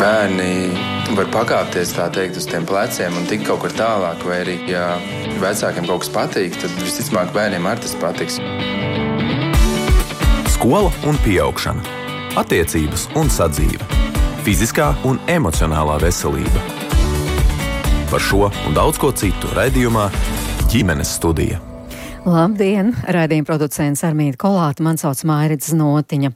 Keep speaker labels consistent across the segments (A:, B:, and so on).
A: bērni var pakāpties, tā teikt, uz tiem pleciem un tikt kaut kur tālāk, vai arī, ja vecākiem kaut kas patīk, tad visticamāk bērniem arī tas patiks.
B: Skola un pieaugšana, attiecības un sadzīve, fiziskā un emocionālā veselība. Par šo un daudz ko citu raidījumā Ģimenes studija.
C: Labdien! Raidījuma producents Armīda Kolāta, man sauc Mairits Notiņa.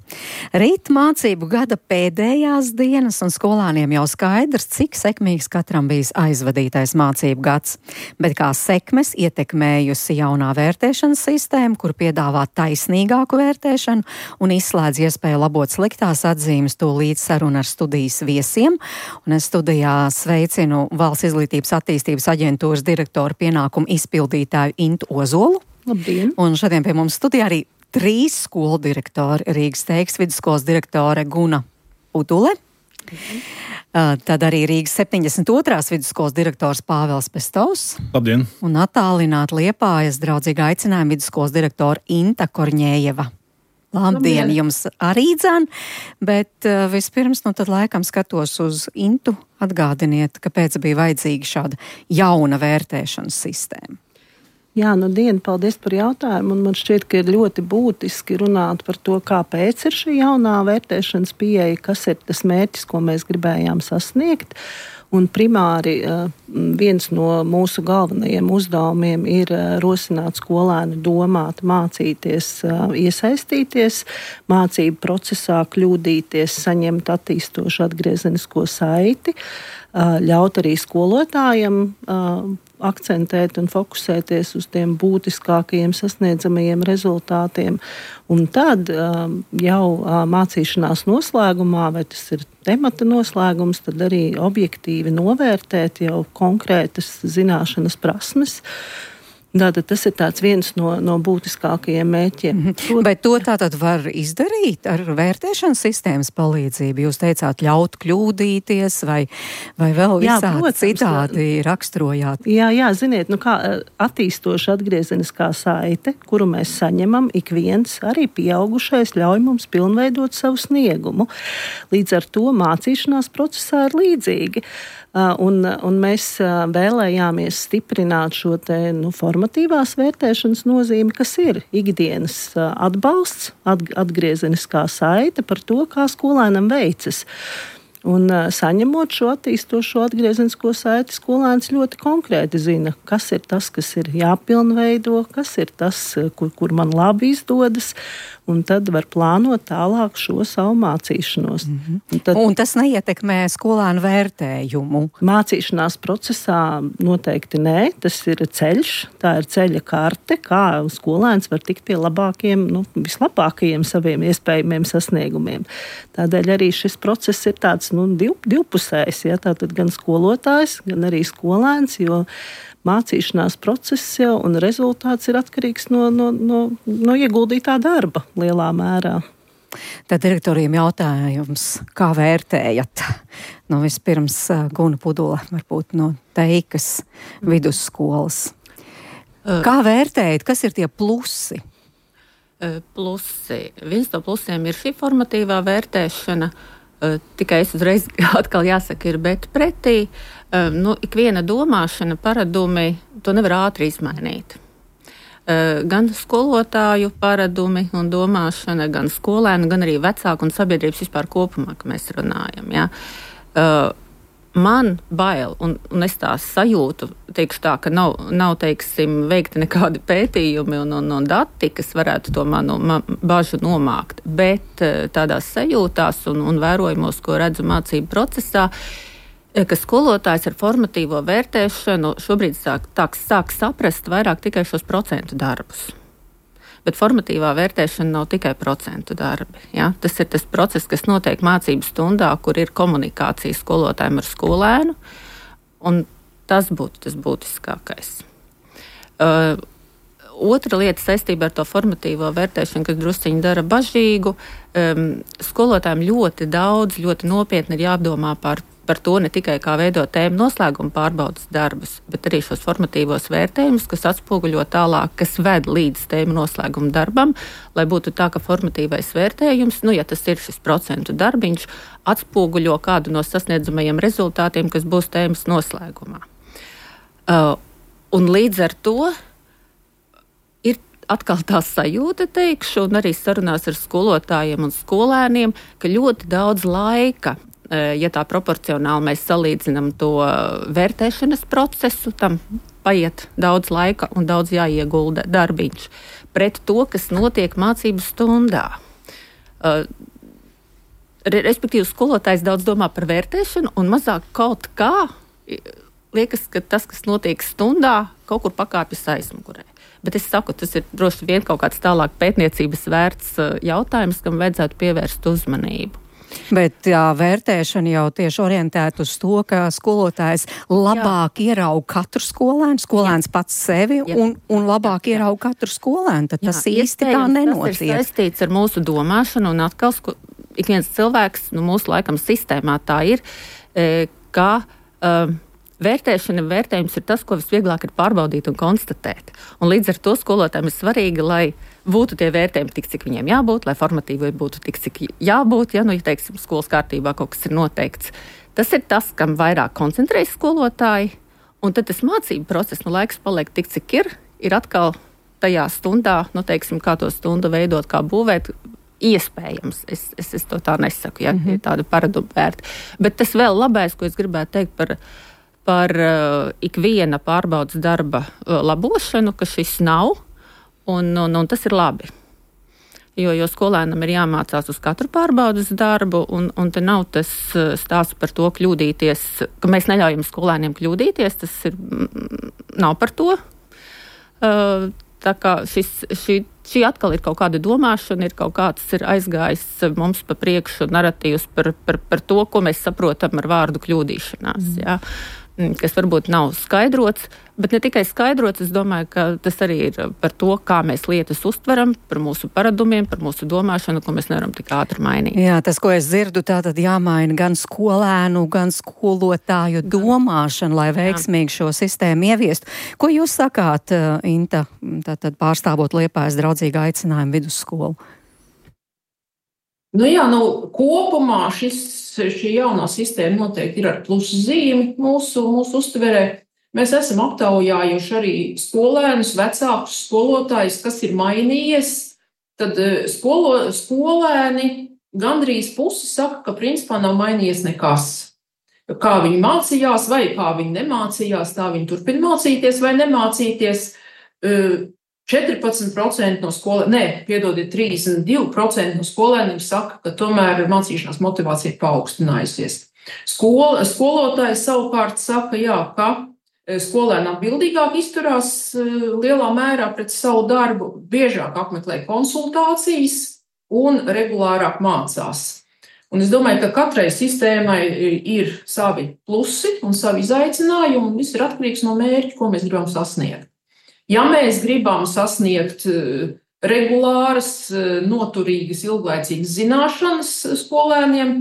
C: Rīt mācību gada pēdējās dienas un skolāniem jau skaidrs, cik sekmīgs katram bijis aizvadītais mācību gads. Bet kā sekmes ietekmējusi jaunā vērtēšanas sistēma, kur piedāvā taisnīgāku vērtēšanu un izslēdz iespēju labot sliktās atzīmes, to līdz saruna ar studijas viesiem. Un es studijā sveicinu Valsts izglītības attīstības aģentūras direktoru pienākumu izpildītāju Intu Ozolu.
D: Labdien!
C: Un šodien pie mums studijā arī 3 skolu direktori. Rīgas Teikas vidusskolas direktore Guna Udule. Tad arī Rīgas 72. vidusskolas direktors Pāvels Pestovs.
E: Labdien!
C: Un attālināti Liepājas draudzīga aicinājuma vidusskolas direktora Inta Korņējeva. Labdien jums arī dzan, bet vispirms, tad laikam skatos uz Intu, atgādiniet, kāpēc bija vajadzīga šāda jauna vērtēšanas sistēma.
D: Jā, paldies par jautājumu, un man šķiet, ka ir ļoti būtiski runāt par to, kāpēc ir šī jaunā vērtēšanas pieeja, kas ir tas mērķis, ko mēs gribējām sasniegt. Un primāri viens no mūsu galvenajiem uzdevumiem ir rosināt skolēnu domāt, mācīties, iesaistīties, mācību procesā kļūdīties, saņemt attīstošu atgriezenisko saiti, ļaut arī skolotājiem akcentēt un fokusēties uz tiem būtiskākajiem sasniedzamajiem rezultātiem. Un tad jau mācīšanās noslēgumā, vai tas ir temata noslēgums, tad arī objektīvi novērtēt jau konkrētas zināšanas prasmes. Tātad tas ir viens no būtiskākajiem mērķiem.
C: Bet to tātad var izdarīt ar vērtēšanas sistēmas palīdzību? Jūs teicāt, ļaut kļūdīties vai vēl visādi citādi raksturojāt?
D: Jā, ziniet, kā attīstoša atgriezeniskā saite, kuru mēs saņemam, ik viens, arī pieaugušais, ļauj mums pilnveidot savu sniegumu. Līdz ar to mācīšanās procesā ir līdzīgi. Un mēs vēlējāmies stiprināt šo formatīvās vērtēšanas nozīmi, kas ir ikdienas atbalsts, atgriezeniskā saite par to, kā skolēnam veicas. Un saņemot šo attīstošo atgriezenisko saiti, skolēns ļoti konkrēti zina, kas ir tas, kas ir jāpilnveido, kas ir tas, kur man labi izdodas, un tad var plānot tālāk šo savu mācīšanos.
C: Un tas neietekmē skolēnu vērtējumu?
D: Mācīšanās procesā noteikti nē, tas ir ceļš, tā ir ceļa karte, kā skolēns var tikt pie labākiem, vislabākajiem saviem iespējamiem sasniegumiem. Tādēļ arī šis process ir tāds divpusējs, ja, tātad gan skolotājs, gan arī skolēns, jo mācīšanās process un rezultāts ir atkarīgs no ieguldītā darba lielā mērā.
C: Tad direktoriem jautājums, kā vērtējat? Vispirms Guna Udule, varbūt no Teikas vidusskolas. Kā vērtējat, kas ir tie plusi?
F: Plusi. Viens no plusiem ir šī formatīvā vērtēšana. Tikai es uzreiz atkal jāsaka, ir bet pretī. Ikviena domāšana, paradumi, to nevar ātri izmainīt. Gan skolotāju paradumi un domāšana, gan skolēnu, gan arī vecāku un sabiedrības vispār kopumā, ka mēs runājam. Ja? Man bail, un es tā sajūtu, teikšu tā, ka nav teiksim, veikti nekādi pētījumi un dati, kas varētu to manu bažu nomākt, bet tādās sajūtās un vērojumos, ko redzu mācību procesā, ka skolotājs ar formatīvo vērtēšanu šobrīd sāk saprast vairāk tikai šos procentu darbus. Bet formatīvā vērtēšana nav tikai procentu darbi. Ja? Tas ir tas process, kas notiek mācību stundā, kur ir komunikācija skolotājiem ar skolēnu, un tas būtu tas būtiskākais. Otra lieta saistībā ar to formatīvo vērtēšanu, kas drusciņi dara bažīgu, skolotājiem ļoti daudz, ļoti nopietni ir jādomā par par to ne tikai kā veidot tēmu noslēguma pārbaudas darbus, bet arī šos formatīvos vērtējumus, kas atspoguļo tālāk, kas ved līdz tēmu noslēguma darbam, lai būtu tā, ka formatīvais vērtējums, ja tas ir šis procentu darbiņš, atspoguļo kādu no sasniedzamajiem rezultātiem, kas būs tēmas noslēgumā. Un līdz ar to ir atkal tā sajūta, teikšu, un arī sarunās ar skolotājiem un skolēniem, ka ļoti daudz laika, ja tā proporcionāli mēs salīdzinām to vērtēšanas procesu, tam paiet daudz laika un daudz jāiegulda darbiņš pret to, kas notiek mācību stundā. Respektīvi, skolotājs daudz domā par vērtēšanu un mazāk kaut kā liekas, ka tas, kas notiek stundā, kaut kur pakāpjas aizmugurē. Bet es saku, tas ir droši vien kaut kāds tālāk pētniecības vērts jautājums, kam vajadzētu pievērst uzmanību.
C: Bet vērtēšana jau tieši orientēta uz to, ka skolotājs labāk ierauga katru skolēnu, skolēns pats sevi un labāk ierauga katru skolēnu. Tad tas īsti tā nenotiek.
F: Tas ir saistīts ar mūsu domāšanu un atkal ik viens cilvēks, mūsu laikam sistēmā tā ir, ka vērtējums ir tas, ko visvieglāk ir pārbaudīt un konstatēt. Un līdz ar to skolotājiem ir svarīgi, lai būtu tie vērtējumi tik, cik viņiem jābūt, lai formatīvi būtu tik, cik jābūt, ja teiksim, skolas kārtībā kaut kas ir noteikts. Tas ir tas, kam vairāk koncentrējas skolotāji, un tad tas mācību process, laiks paliek tik, cik ir atkal tajā stundā, teiksim, kā to stundu veidot, kā būvēt, iespējams. Es to tā nesaku, ir tāda paradumu vērta. Bet tas vēl labais, ko es gribētu teikt par ikviena pārbaudas darba labošanu, ka šis nav, un tas ir labi. Jo skolēnam ir jāmācās uz katru pārbaudas darbu, un te nav tas stāsts par to kļūdīties, ka mēs neļaujam skolēniem kļūdīties, tas nav par to. Tā kā šī atkal ir kaut kāda domāšana, ir kaut kāds ir aizgājis mums pa priekšu naratīvs par to, ko mēs saprotam ar vārdu kļūdīšanās. Jā. Kas varbūt nav skaidrots, bet ne tikai skaidrots, es domāju, ka tas arī ir par to, kā mēs lietas uztveram, par mūsu paradumiem, par mūsu domāšanu, ko mēs nevaram tik ātri mainīt.
C: Jā, tas, ko es dzirdu, tātad jāmaina gan skolēnu, gan skolotāju domāšanu, lai veiksmīgi šo sistēmu ieviestu. Ko jūs sakāt, Inta, tātad pārstāvot Liepājas draudzīgu aicinājumu vidusskolu?
E: Kopumā šī jaunā sistēma noteikti ir ar pluszīmi mūsu uztverē. Mēs esam aptaujājuši arī skolēnus, vecākus skolotājus, kas ir mainījies. Tad skolēni gandrīz pusi saka, ka principā nav mainījies nekas. Kā viņi mācījās vai kā viņi nemācījās, tā viņi turpina mācīties vai nemācīties. 14% no skolēniem, 32% no skolēniem saka, ka tomēr mācīšanās motivācija ir paaugstinājusies. Skolotājs savukārt saka, ka skolēni atbildīgāk izturās lielā mērā pret savu darbu, biežāk apmeklē konsultācijas un regulārāk mācās. Un es domāju, ka katrai sistēmai ir savi plusi un savi izaicinājumi, un viss ir atkarīgs no mērķa, ko mēs gribam sasniegt. Ja mēs gribam sasniegt regulāras, noturīgas, ilglaicīgas zināšanas skolēniem,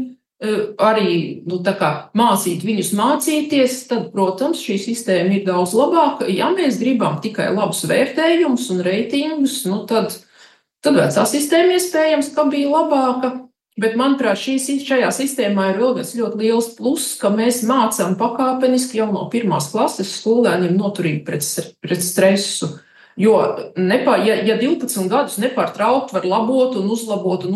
E: arī mācīt viņus mācīties, tad, protams, šī sistēma ir daudz labāka. Ja mēs gribam tikai labus vērtējumus un reitingus, tad vecā sistēma iespējams, ka bija labāka. Bet, manuprāt, šajā sistēmā ir vēl viens ļoti liels pluss, ka mēs mācām pakāpeniski jau no 1. klases skolēniem noturīgi pret stresu. Jo, ja 12 gadus nepārtraukt var labot un uzlabot,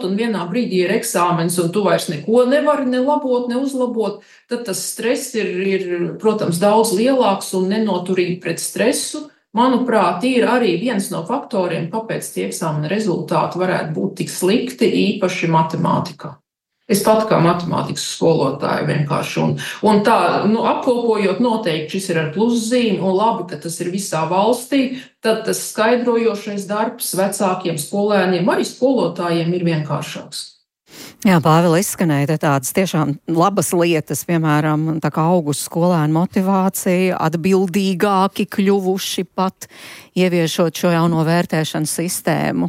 E: un vienā brīdī ir eksāmens, un tu vairs neko nevari ne labot, ne uzlabot, tad tas stress ir, protams, daudz lielāks un nenoturīgi pret stresu. Manuprāt, ir arī viens no faktoriem, kāpēc tie eksāmena rezultāti varētu būt tik slikti, īpaši matemātikā. Es pat kā matemātikas skolotāja vienkārši. Un tā, apkopojot, noteikti šis ir ar pluszīmi, un labi, ka tas ir visā valstī, tad tas skaidrojošais darbs vecākiem skolēniem, arī skolotājiem ir vienkāršāks.
C: Jā, Pāvila, izskanēja tādas tiešām labas lietas, piemēram, tā kā augusi skolēnu motivācija, atbildīgāki kļuvuši pat ieviešot šo jauno vērtēšanas sistēmu.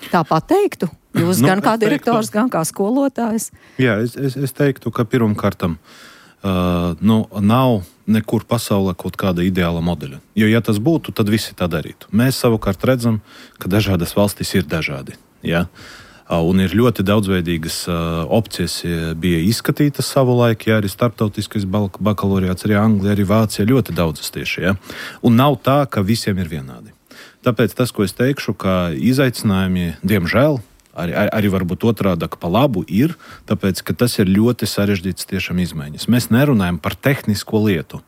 C: Tā pateiktu? Jūs gan kā direktors, gan kā skolotājs?
G: Jā, es teiktu, ka pirmkārtam nav nekur pasaulē kaut kāda ideāla modeļa. Jo, ja tas būtu, tad visi tā darītu. Mēs savukārt redzam, ka dažādas valstis ir dažādi. Ja? Un ir ļoti daudzveidīgas opcijas bija izskatītas savulaik, ja arī starptautiskais bakalaureāts, arī Anglija, arī Vācija, ļoti daudzas tieši. Ja? Un nav tā, ka visiem ir vienādi. Tāpēc tas, ko es teikšu, ka izaicinājumi, diemžēl, arī varbūt otrādāk pa labu ir, tāpēc, ka tas ir ļoti sarežģīts tiešām izmaiņas. Mēs nerunājam par tehnisko lietu.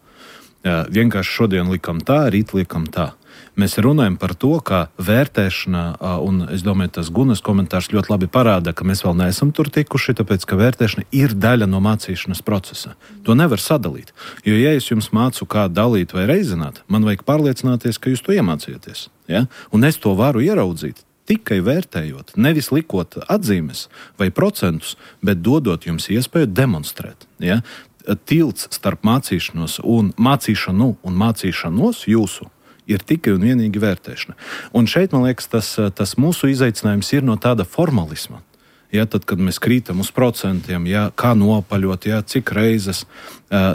G: Vienkārši šodien likam tā, rīt likam tā. Mēs runājam par to, ka vērtēšana, un es domāju, tas Gunas komentārs ļoti labi parāda, ka mēs vēl neesam tur tikuši, tāpēc, ka vērtēšana ir daļa no mācīšanas procesa. To nevar sadalīt. Jo, ja es jums mācu, kā dalīt vai reizināt, man vajag pārliecināties, ka jūs to iemācījāties. Ja? Un es to varu ieraudzīt tikai vērtējot, nevis likot atzīmes vai procentus, bet dodot jums iespēju demonstrēt. Ja? Tilts starp mācīšanos un mācīšanu un mācīšanos jūsu ir tikai un vienīgi vērtēšana. Un šeit, man liekas, tas mūsu izaicinājums ir no tāda formalisma. Ja, tad, kad mēs krītam uz procentiem, ja, kā nopaļot, ja, cik reizes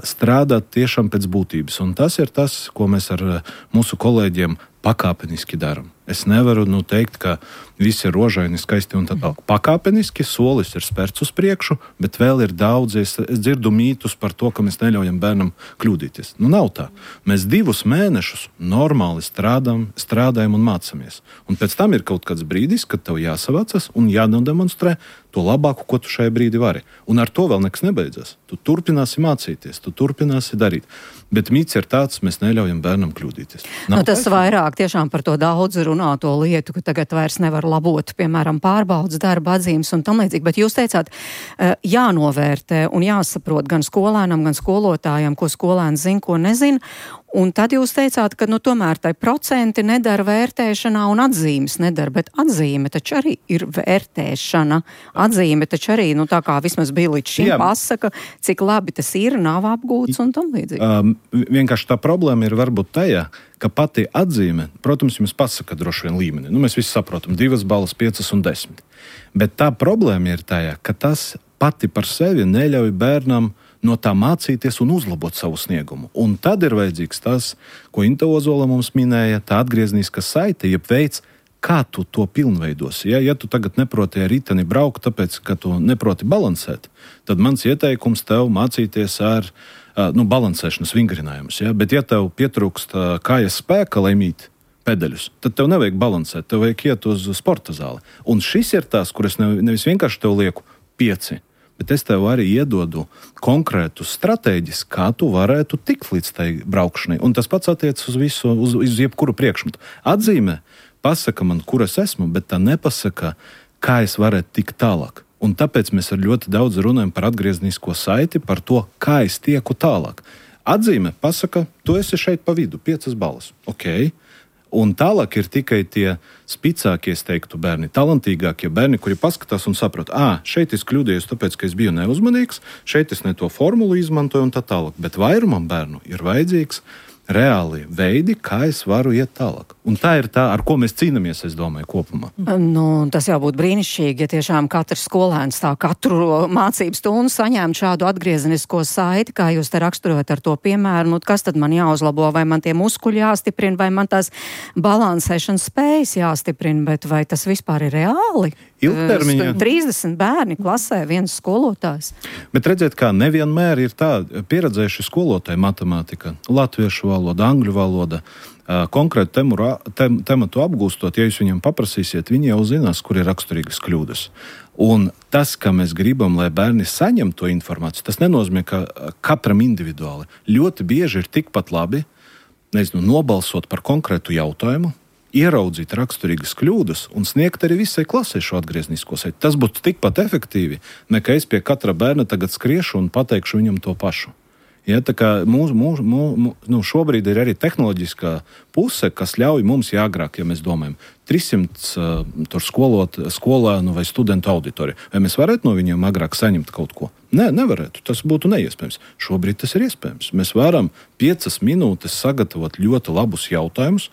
G: strādāt tiešām pēc būtības. Un tas ir tas, ko mēs ar mūsu kolēģiem pakāpeniski darām. Es nevaru teikt, ka viss ir rožaini, skaisti un tā tālāk. Pakāpeniski solis ir spērts uz priekšu, bet vēl ir daudz. Es dzirdu mītus par to, ka mēs neļaujam bērnam kļūdīties. Nav tā. Mēs 2 mēnešus normāli strādājam un mācāmies. Un pēc tam ir kaut kāds brīdis, kad tev jāsavācas un jādemonstrē to labāko, ko tu šajā brīdī vari. Un ar to vēl nekas nebeidzas. Tu turpināsi mācīties, tu turpināsi darīt. Bet mīts ir tāds, mēs neļaujam bērnam kļūdīties.
C: Tas vairāk tiešām par to daudz runāto lietu, ka tagad vairs nevar labot, piemēram, pārbaudas darba atzīmes un tam līdzīgi. Bet jūs teicāt, jānovērtē un jāsaprot gan skolēnam, gan skolotājam, ko skolēns zina, ko nezina. Un tad jūs teicāt, ka tomēr tai procenti nedara vērtēšanā un atzīmes nedara, bet atzīme taču arī ir vērtēšana. Atzīme taču arī, tā kā vismaz bija līdz šim, pasaka, cik labi tas ir, nav apgūts un tam līdzīgi.
G: Vienkārši tā problēma ir varbūt tajā, ka pati atzīme, protams, jums pasaka droši vien līmeni. Mēs visi saprotam, 2 balvas, 5 un 10. Bet tā problēma ir tajā, ka tas pati par sevi neļauj bērnam no tā mācīties un uzlabot savu sniegumu. Un tad ir vajadzīgs tas, ko Inta Ozola mums minēja, tā atgriezniskā saite, jeb veids, kā tu to pilnveidosi. Ja tu tagad neproti ar riteni braukt, tāpēc, ka tu neproti balansēt, tad mans ieteikums tev mācīties ar balansēšanas vingrinājumus. Ja? Bet ja tev pietrūkst kājas spēka, lai mīt pedaļus, tad tev nevajag balansēt, tev vajag iet uz sporta zāli. Un šis ir tās, kur es nevis vienkārši tev lieku 5, bet es tev arī iedodu konkrētu stratēģis, kā tu varētu tikt līdz tai braukšanai. Un tas pats attiecas uz visu, uz jebkuru priekšmetu. Atzīmē pasaka man, kur es esmu, bet tā nepasaka, kā es varētu tikt tālāk. Un tāpēc mēs ar ļoti daudz runājam par atgrieznisko saiti, par to, kā es tieku tālāk. Atzīme pasaka, tu esi šeit pa vidu, 5 balvas. Ok. Un tālāk ir tikai tie spicākie, es teiktu, bērni, talantīgākie bērni, kuri paskatās un saprot, šeit es kļūdījos, tāpēc, ka es biju neuzmanīgs, šeit es ne to formulu izmantoju un tā tālāk. Bet vairumam bērnu ir vajadzīgs reāli veidi, kā es varu iet tālāk. Un tā ir tā, ar ko mēs cīnāmies, es domāju, kopumā.
C: Tas jau būtu brīnišķīgi, ja tiešām katrs skolēns tā katru mācību stundu saņēma šādu atgriezenisko saiti, kā jūs te raksturojat ar to piemēru. Kas tad man jāuzlabo? Vai man tie muskuļi jāstiprina, vai man tās balansēšanas spējas jāstiprina, bet vai tas vispār ir reāli?
G: Ilgtermiņā
C: 30 bērni klasē, viens skolotājs.
G: Bet redziet, kā nevienmēr ir tā pieredzējuši skolotāji matemātika, latviešu valoda, angļu valoda, konkrētu tematu apgūstot, ja jūs viņam paprasīsiet, viņi jau zinās, kur ir raksturīgas kļūdas. Un tas, ka mēs gribam, lai bērni saņem to informāciju, tas nenozīmē, ka katram individuāli. Ļoti bieži ir tikpat labi, nobalsot par konkrētu jautājumu, ieraudzīt raksturīgas kļūdas un sniegt arī visai klasē šo atgrieznisko saiti. Tas būtu tikpat efektīvi, nekā es pie katra bērna tagad skriešu un pateikšu viņam to pašu. Ja, tā kā šobrīd ir arī tehnoloģiskā puse, kas ļauj mums agrāk, ja mēs domājam, 300 skolēnu vai studentu auditoriju. Vai mēs varētu no viņiem agrāk saņemt kaut ko? Nē, nevarētu. Tas būtu neiespējams. Šobrīd tas ir iespējams. Mēs varam 5 minūtes sagatavot ļoti labus jautājumus,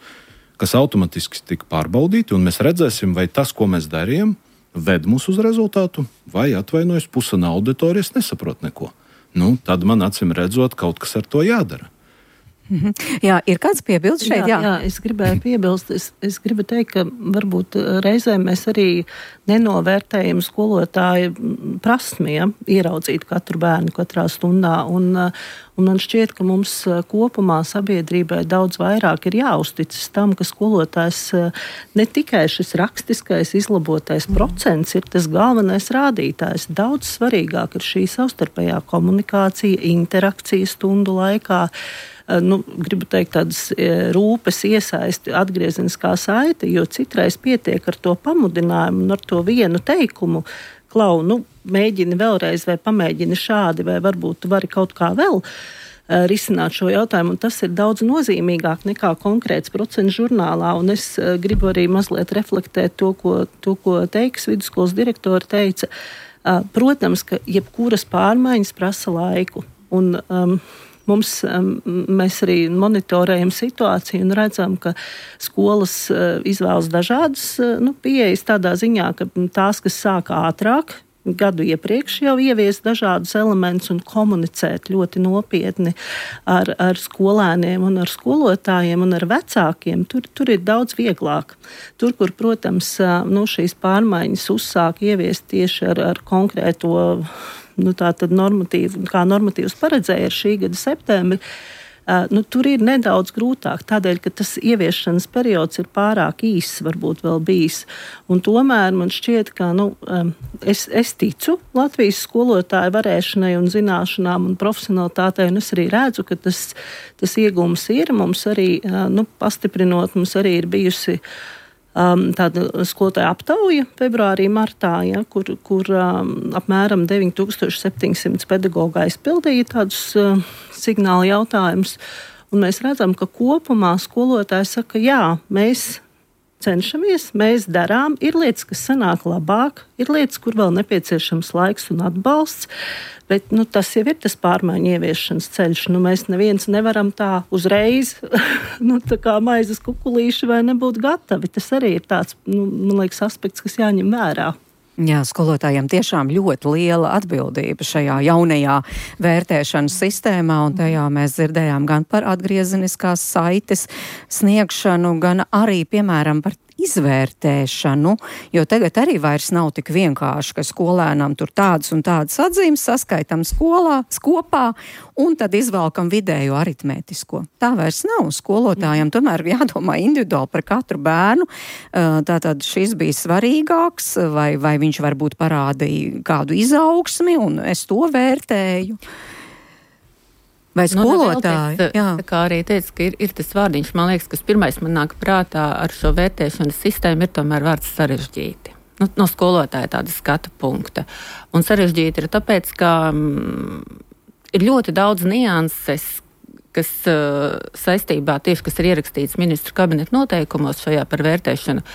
G: kas automatiski tika pārbaudīti, un mēs redzēsim, vai tas, ko mēs darījām, ved mūs uz rezultātu, vai atvainojas puse no auditorijas nesaprot neko. Tad man acīm redzot, kaut kas ar to jādara.
C: Jā, ir kāds piebilds šeit?
D: Jā, es gribēju piebilst. Es gribu teikt, ka varbūt reizēm mēs arī nenovērtējam skolotāju prasmi, ieraudzīt katru bērnu katrā stundā. Un man šķiet, ka mums kopumā sabiedrībai daudz vairāk ir jāuzticas tam, ka skolotājs ne tikai šis rakstiskais izlabotais procents ir tas galvenais rādītājs. Daudz svarīgāk ir šī savstarpējā komunikācija, interakcija stundu laikā. Gribu teikt, tādas rūpes iesaisti, atgriezeniskā saite, jo citreiz pietiek ar to pamudinājumu un ar to vienu teikumu, Klau, mēģini vēlreiz vai pamēģini šādi, vai varbūt tu vari kaut kā vēl risināt šo jautājumu, un tas ir daudz nozīmīgāk nekā konkrēts procents žurnālā, un es gribu arī mazliet reflektēt to, ko Teikas vidusskolas direktori teica. Protams, ka jebkuras pārmaiņas prasa laiku, un mēs arī monitorējam situāciju un redzam, ka skolas izvēlas dažādas pieejas tādā ziņā, ka tās, kas sāk ātrāk, gadu iepriekš jau ievies dažādus elementus un komunicēt ļoti nopietni ar skolēniem un ar skolotājiem un ar vecākiem, tur ir daudz vieglāk. Tur, kur, protams, šīs pārmaiņas uzsāk ieviest tieši ar konkrēto tātad kā normatīvs paredzēja ar šī gada septembri, tur ir nedaudz grūtāk, tādēļ, ka tas ieviešanas periods ir pārāk īss, varbūt vēl bijis. Un tomēr man šķiet, ka es ticu Latvijas skolotāju varēšanai un zināšanām un profesionalitātei, un es arī redzu, ka tas iegūms ir. Mums arī, pastiprinot, mums arī ir bijusi tāda skolotāja aptauja februārī, martā, kur apmēram 9700 pedagogu aizpildīja tādus signālu jautājumus. Un mēs redzam, ka kopumā skolotāji saka, jā, mēs cenšamies, mēs darām, ir lietas, kas sanāk labāk, ir lietas, kur vēl nepieciešams laiks un atbalsts, bet tas jau ir tas pārmaiņu ieviešanas ceļš. Mēs neviens nevaram tā uzreiz, tā kā maizes kukulīši vai nebūt gatavi. Tas arī ir tāds, man liekas, aspekts, kas jāņem vērā.
C: Jā, skolotājiem tiešām ļoti liela atbildība šajā jaunajā vērtēšanas sistēmā, un tajā mēs dzirdējām gan par atgriezeniskās saites sniegšanu, gan arī, piemēram, par izvērtēšanu, jo tagad arī vairs nav tik vienkārši, ka skolēnam tur tādas un tādas atzīmes saskaitam kopā un tad izvelkam vidējo aritmētisko. Tā vairs nav. Skolotājiem tomēr jādomā individuāli par katru bērnu. Tātad šis bija svarīgāks, vai viņš varbūt parādīja kādu izaugsmi, un es to vērtēju. Vai skolotāji?
F: Tā kā arī teica, ka ir tas vārdiņš, man liekas, kas pirmais man nāk prātā ar šo vērtēšanas sistēmu, ir tomēr vārds sarežģīti. No skolotāja tāda skatu punkta. Un sarežģīti ir tāpēc, ka ir ļoti daudz nianses, kas saistībā tieši, kas ir ierakstīts ministru kabineta noteikumos šajā par vērtēšanu,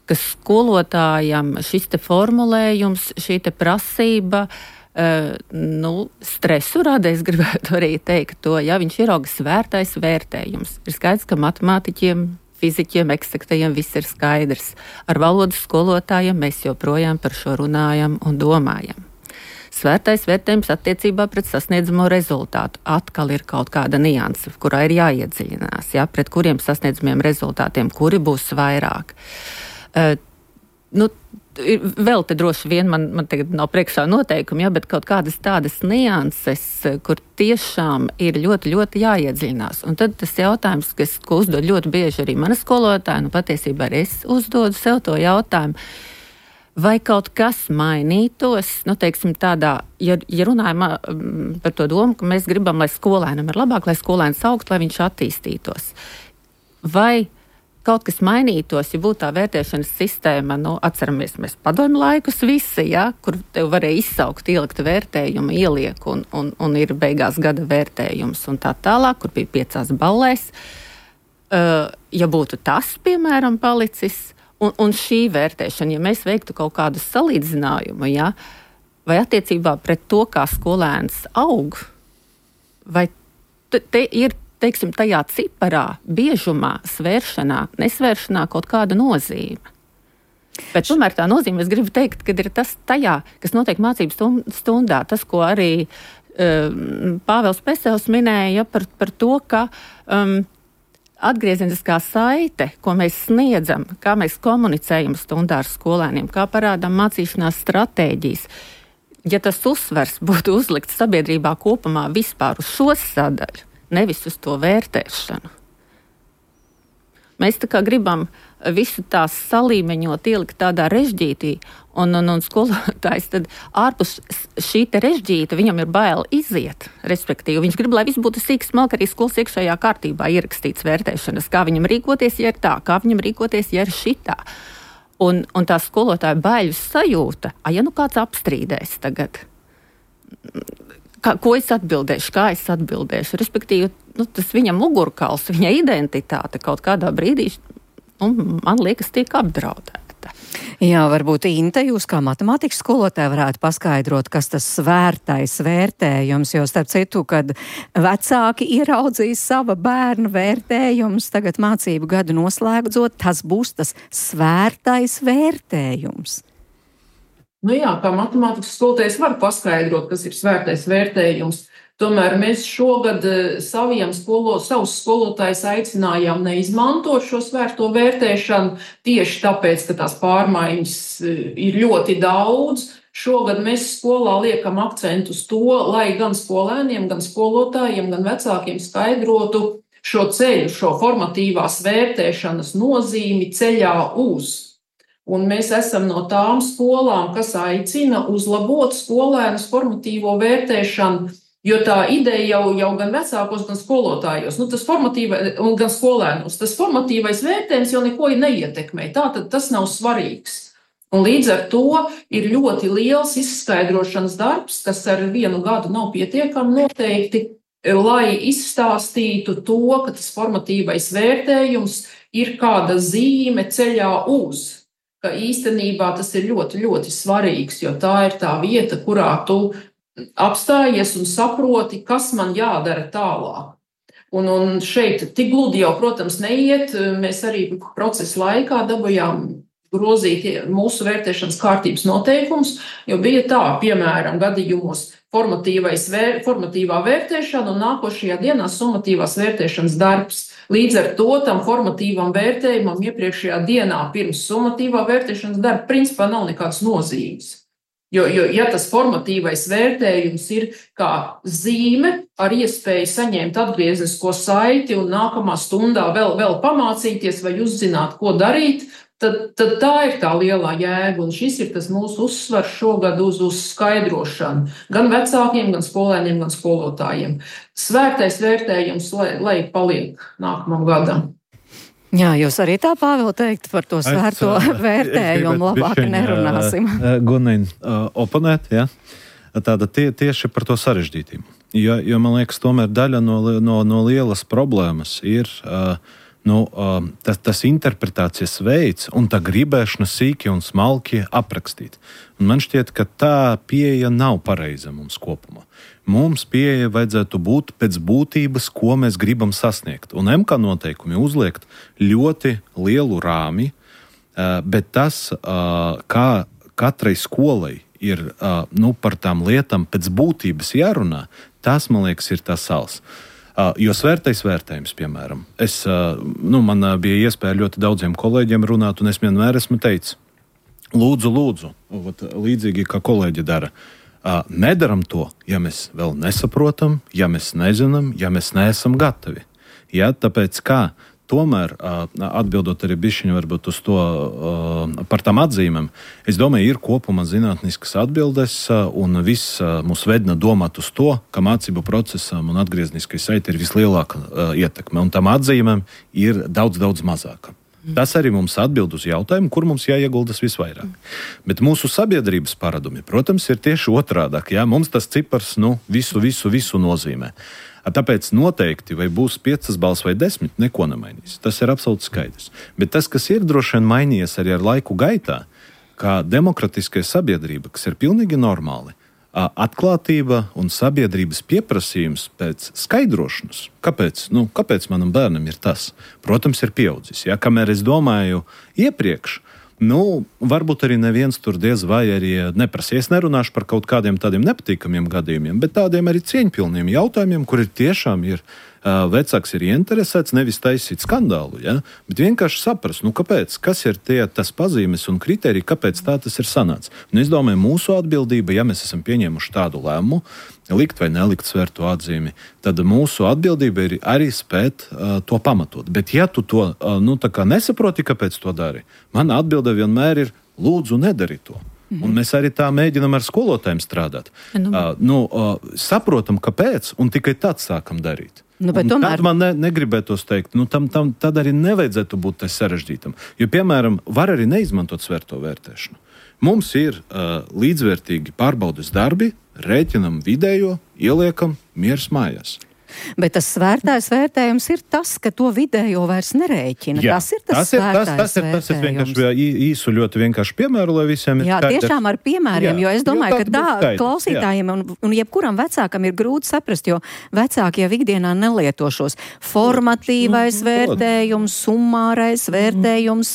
F: ka skolotājam šis te formulējums, šī te prasība, stresu rada, es gribētu arī teikt to, ja viņš ierauga svērtais vērtējums. Ir skaidrs, ka matemātiķiem, fiziķiem, eksaktajiem viss ir skaidrs. Ar valodas skolotājiem mēs joprojām par šo runājam un domājam. Svērtais vērtējums attiecībā pret sasniedzamo rezultātu. Atkal ir kaut kāda nianse, kurā ir jāiedziļinās, pret kuriem sasniedzamiem rezultātiem, kuri būs vairāk. Vēl te droši vien man tagad nav priekšā noteikumi, bet kaut kādas tādas nianses, kur tiešām ir ļoti, ļoti jāiedziļinās. Un tad tas jautājums, ko uzdod ļoti bieži arī mana skolotāja, patiesībā arī es uzdodu sev to jautājumu, vai kaut kas mainītos, teiksim tādā, ja runājam par to domu, ka mēs gribam, lai skolēnam ir labāk, lai skolēns augtu, lai viņš attīstītos. Vai kaut kas mainītos, ja būtu tā vērtēšanas sistēma, atceramies mēs padomju laikus visi, kur tev varēja izsaukt, ielikt vērtējumu, ieliek un ir beigās gada vērtējums un tā tālāk, kur bija 5 ballēs. Ja būtu tas, piemēram, palicis, un šī vērtēšana, ja mēs veiktu kaut kādu salīdzinājumu, vai attiecībā pret to, kā skolēns aug, vai te ir, teiksim, tajā ciparā, biežumā, svēršanā, nesvēršanā kaut kāda nozīme. Bet tomēr tā nozīme, es gribu teikt, ka ir tas tajā, kas notiek mācību stundā, tas, ko arī Pāvils Pesels minēja par to, ka atgriezeniskā saite, ko mēs sniedzam, kā mēs komunicējam stundā ar skolēniem, kā parādām mācīšanās stratēģijas. Ja tas uzsvers būtu uzlikts sabiedrībā kopumā vispār uz šo sadaļu, nevis uz to vērtēšanu. Mēs tā kā gribam visu tās salīmeņot, ielikt tādā režģītī, un skolotājs tad ārpus šī te režģīta, viņam ir bail iziet, respektīvi. Viņš grib, lai viss būtu sīks smalki arī skolas iekšējā kārtībā ierakstīts vērtēšanas, kā viņam rīkoties, ja ir tā, kā viņam rīkoties, ja ir šitā. Un tā skolotāja baiļu sajūta, ja kāds apstrīdēs tagad, ko es atbildēšu, kā es atbildēšu, respektīvi, tas viņam mugurkauls, viņa identitāte kaut kādā brīdī, man liekas, tiek apdraudēta.
C: Jā, varbūt Inte, jūs kā matemātikas skolotāja varētu paskaidrot, kas tas svērtais vērtējums, jo starp citu, kad vecāki ieraudzīs sava bērna vērtējums, tagad mācību gadu noslēgdzot, tas būs tas svērtais vērtējums.
E: Jā, kā matemātikas skolotājs var paskaidrot, kas ir svērtais vērtējums. Tomēr mēs šogad savus skolotājus aicinājām neizmantot šo svērto vērtēšanu tieši tāpēc, ka tās pārmaiņas ir ļoti daudz. Šogad mēs skolā liekam akcentu uz to, lai gan skolēniem, gan skolotājiem, gan vecākiem skaidrotu šo ceļu, šo formatīvās vērtēšanas nozīmi ceļā uz. Un mēs esam no tām skolām, kas aicina uzlabot skolēnus formatīvo vērtēšanu, jo tā ideja jau gan vecākos, gan skolotājos, gan skolēnos, tas formatīvais vērtējums jau neko neietekmē, tātad tas nav svarīgs. Un līdz ar to ir ļoti liels izskaidrošanas darbs, kas ar 1 gadu nav pietiekami noteikti, lai izstāstītu to, ka tas formatīvais vērtējums ir kāda zīme ceļā uz, ka īstenībā tas ir ļoti, ļoti svarīgs, jo tā ir tā vieta, kurā tu apstājies un saproti, kas man jādara tālāk. Un šeit tik gludi jau, protams, neiet. Mēs arī procesa laikā dabūjām grozīt mūsu vērtēšanas kārtības noteikumus, jo bija tā, piemēram, gadījumos formatīvā vērtēšana un nākošajā dienā summatīvās vērtēšanas darbs. Līdz ar to tam formatīvam vērtējumam iepriekšējā dienā pirms summatīvā vērtēšanas darba principā nav nekādas nozīmes. Jo ja tas formatīvais vērtējums ir kā zīme ar iespēju saņemt atgrieznisko saiti un nākamā stundā vēl pamācīties vai uzzināt, ko darīt, tad tā ir tā lielā jēga. Un šis ir tas mūsu uzsvars šogad uz skaidrošanu gan vecākiem, gan skolēniem, gan skolotājiem. Svērtais vērtējums, lai paliek nākamam gadam.
C: Jā, jūs arī tā, Pāvil, teikt par to svērto vērtējumu, labāk nerunāsim.
G: Gunīn, oponēt, jā. Tāda tieši par to sarežģītību. Jo man liekas, tomēr daļa no lielas problēmas ir tas interpretācijas veids un tā gribēšana sīki un smalki aprakstīt. Un man šķiet, ka tā pieeja nav pareiza mums kopumā. Mums pieeja vajadzētu būt pēc būtības, ko mēs gribam sasniegt. Un MK noteikumi uzliekt ļoti lielu rāmi, bet tas, kā katrai skolai ir par tām lietām pēc būtības jārunā, tas, man liekas, ir tas sals. Jo svērtais vērtējums, piemēram, man bija iespēja ļoti daudziem kolēģiem runāt, un es vienmēr esmu teicis, lūdzu, līdzīgi kā kolēģi dara, nedaram to, ja mēs vēl nesaprotam, ja mēs nezinām, ja mēs neesam gatavi. Ja, tāpēc kā tomēr, atbildot arī bišķiņu varbūt uz to par tām atzīmēm, es domāju, ir kopumā zinātniskas atbildes un viss mūs vedina domāt uz to, ka mācību procesam un atgriezniskai saite ir vislielākā ietekme, un tām atzīmēm ir daudz mazāka. Tas arī mums atbild uz jautājumu, kur mums jāieguldas visvairāk. Bet mūsu sabiedrības paradumi, protams, ir tieši otrādāk. Ja? Mums tas cipars visu nozīmē. Tāpēc noteikti, vai būs 5 balss vai 10, neko nemainīs. Tas ir absolūti skaidrs. Bet tas, kas ir droši vien mainījies arī ar laiku gaitā, kā demokratiskai sabiedrība, kas ir pilnīgi normāli, atklātība un sabiedrības pieprasījums pēc skaidrošanas. Kāpēc manam bērnam ir tas? Protams, ir pieaudzis. Ja? Kamēr es domāju iepriekš, Varbūt arī neviens tur diez vai arī neprasa. Es nerunāšu par kaut kādiem tādiem nepatīkamiem gadījumiem, bet tādiem arī cieņpilniem jautājumiem, kur tiešām ir vecāks ir ieinteresēts nevis taisīt skandālu, bet vienkārši saprast, kāpēc, kas ir tas pazīmes un kriteriji, kāpēc tā tas ir sanācis. Es domāju, mūsu atbildība, ja mēs esam pieņēmuši tādu lēmumu, likt vai nelikt svērto atzīmi, tad mūsu atbildība ir arī spēt to pamatot. Bet ja tu to tā kā nesaproti, kāpēc to dari, mana atbilde vienmēr ir lūdzu nedari to. Un mēs arī tā mēģinam ar skolotājiem strādāt. Saprotam, kāpēc, un tikai tad sākam darīt. Tad man negribētos teikt, tad arī nevajadzētu būt sarežģītam. Jo, piemēram, var arī neizmantot svērto vērtēšanu. Mums ir līdzvērtīgi pārbaudes darbi, rēķinam vidējo, ieliekam miers mājās.
C: Bet tas svērtais vērtējums ir tas, ka to vidējo vairs nerēķina.
G: Jā,
C: tas ir tas svērtais vērtējums.
G: Tas ir vienkārši īsu ļoti vienkārši piemēru, lai visiem ir skaidrs.
C: Tiešām ar piemēriem, jo es domāju, ka klausītājiem un jebkuram vecākam ir grūti saprast, jo vecāki jau ikdienā nelieto šos formatīvais vērtējums, summārais vērtējums,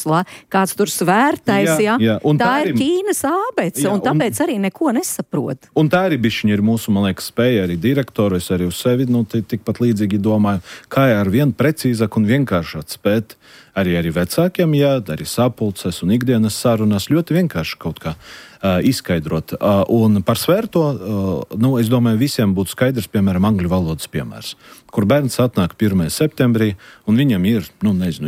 C: kāds tur svērtais, tā ir Ķīnas ābece, un tāpēc arī neko nesaprot.
G: Un tā arī bišķiņa ir mūsu, man liekas, spēja arī direktoru, es arī uz sevi, tikpat līdzīgi domāju, kā ar vien precīzāk un vienkāršāk spēt arī vecākiem, arī sapulces un ikdienas sarunās ļoti vienkārši kaut kā izskaidrot. Un par svērto, es domāju, visiem būtu skaidrs, piemēram, angļu valodas piemērs, kur bērns atnāk 1. septembrī, un viņam ir,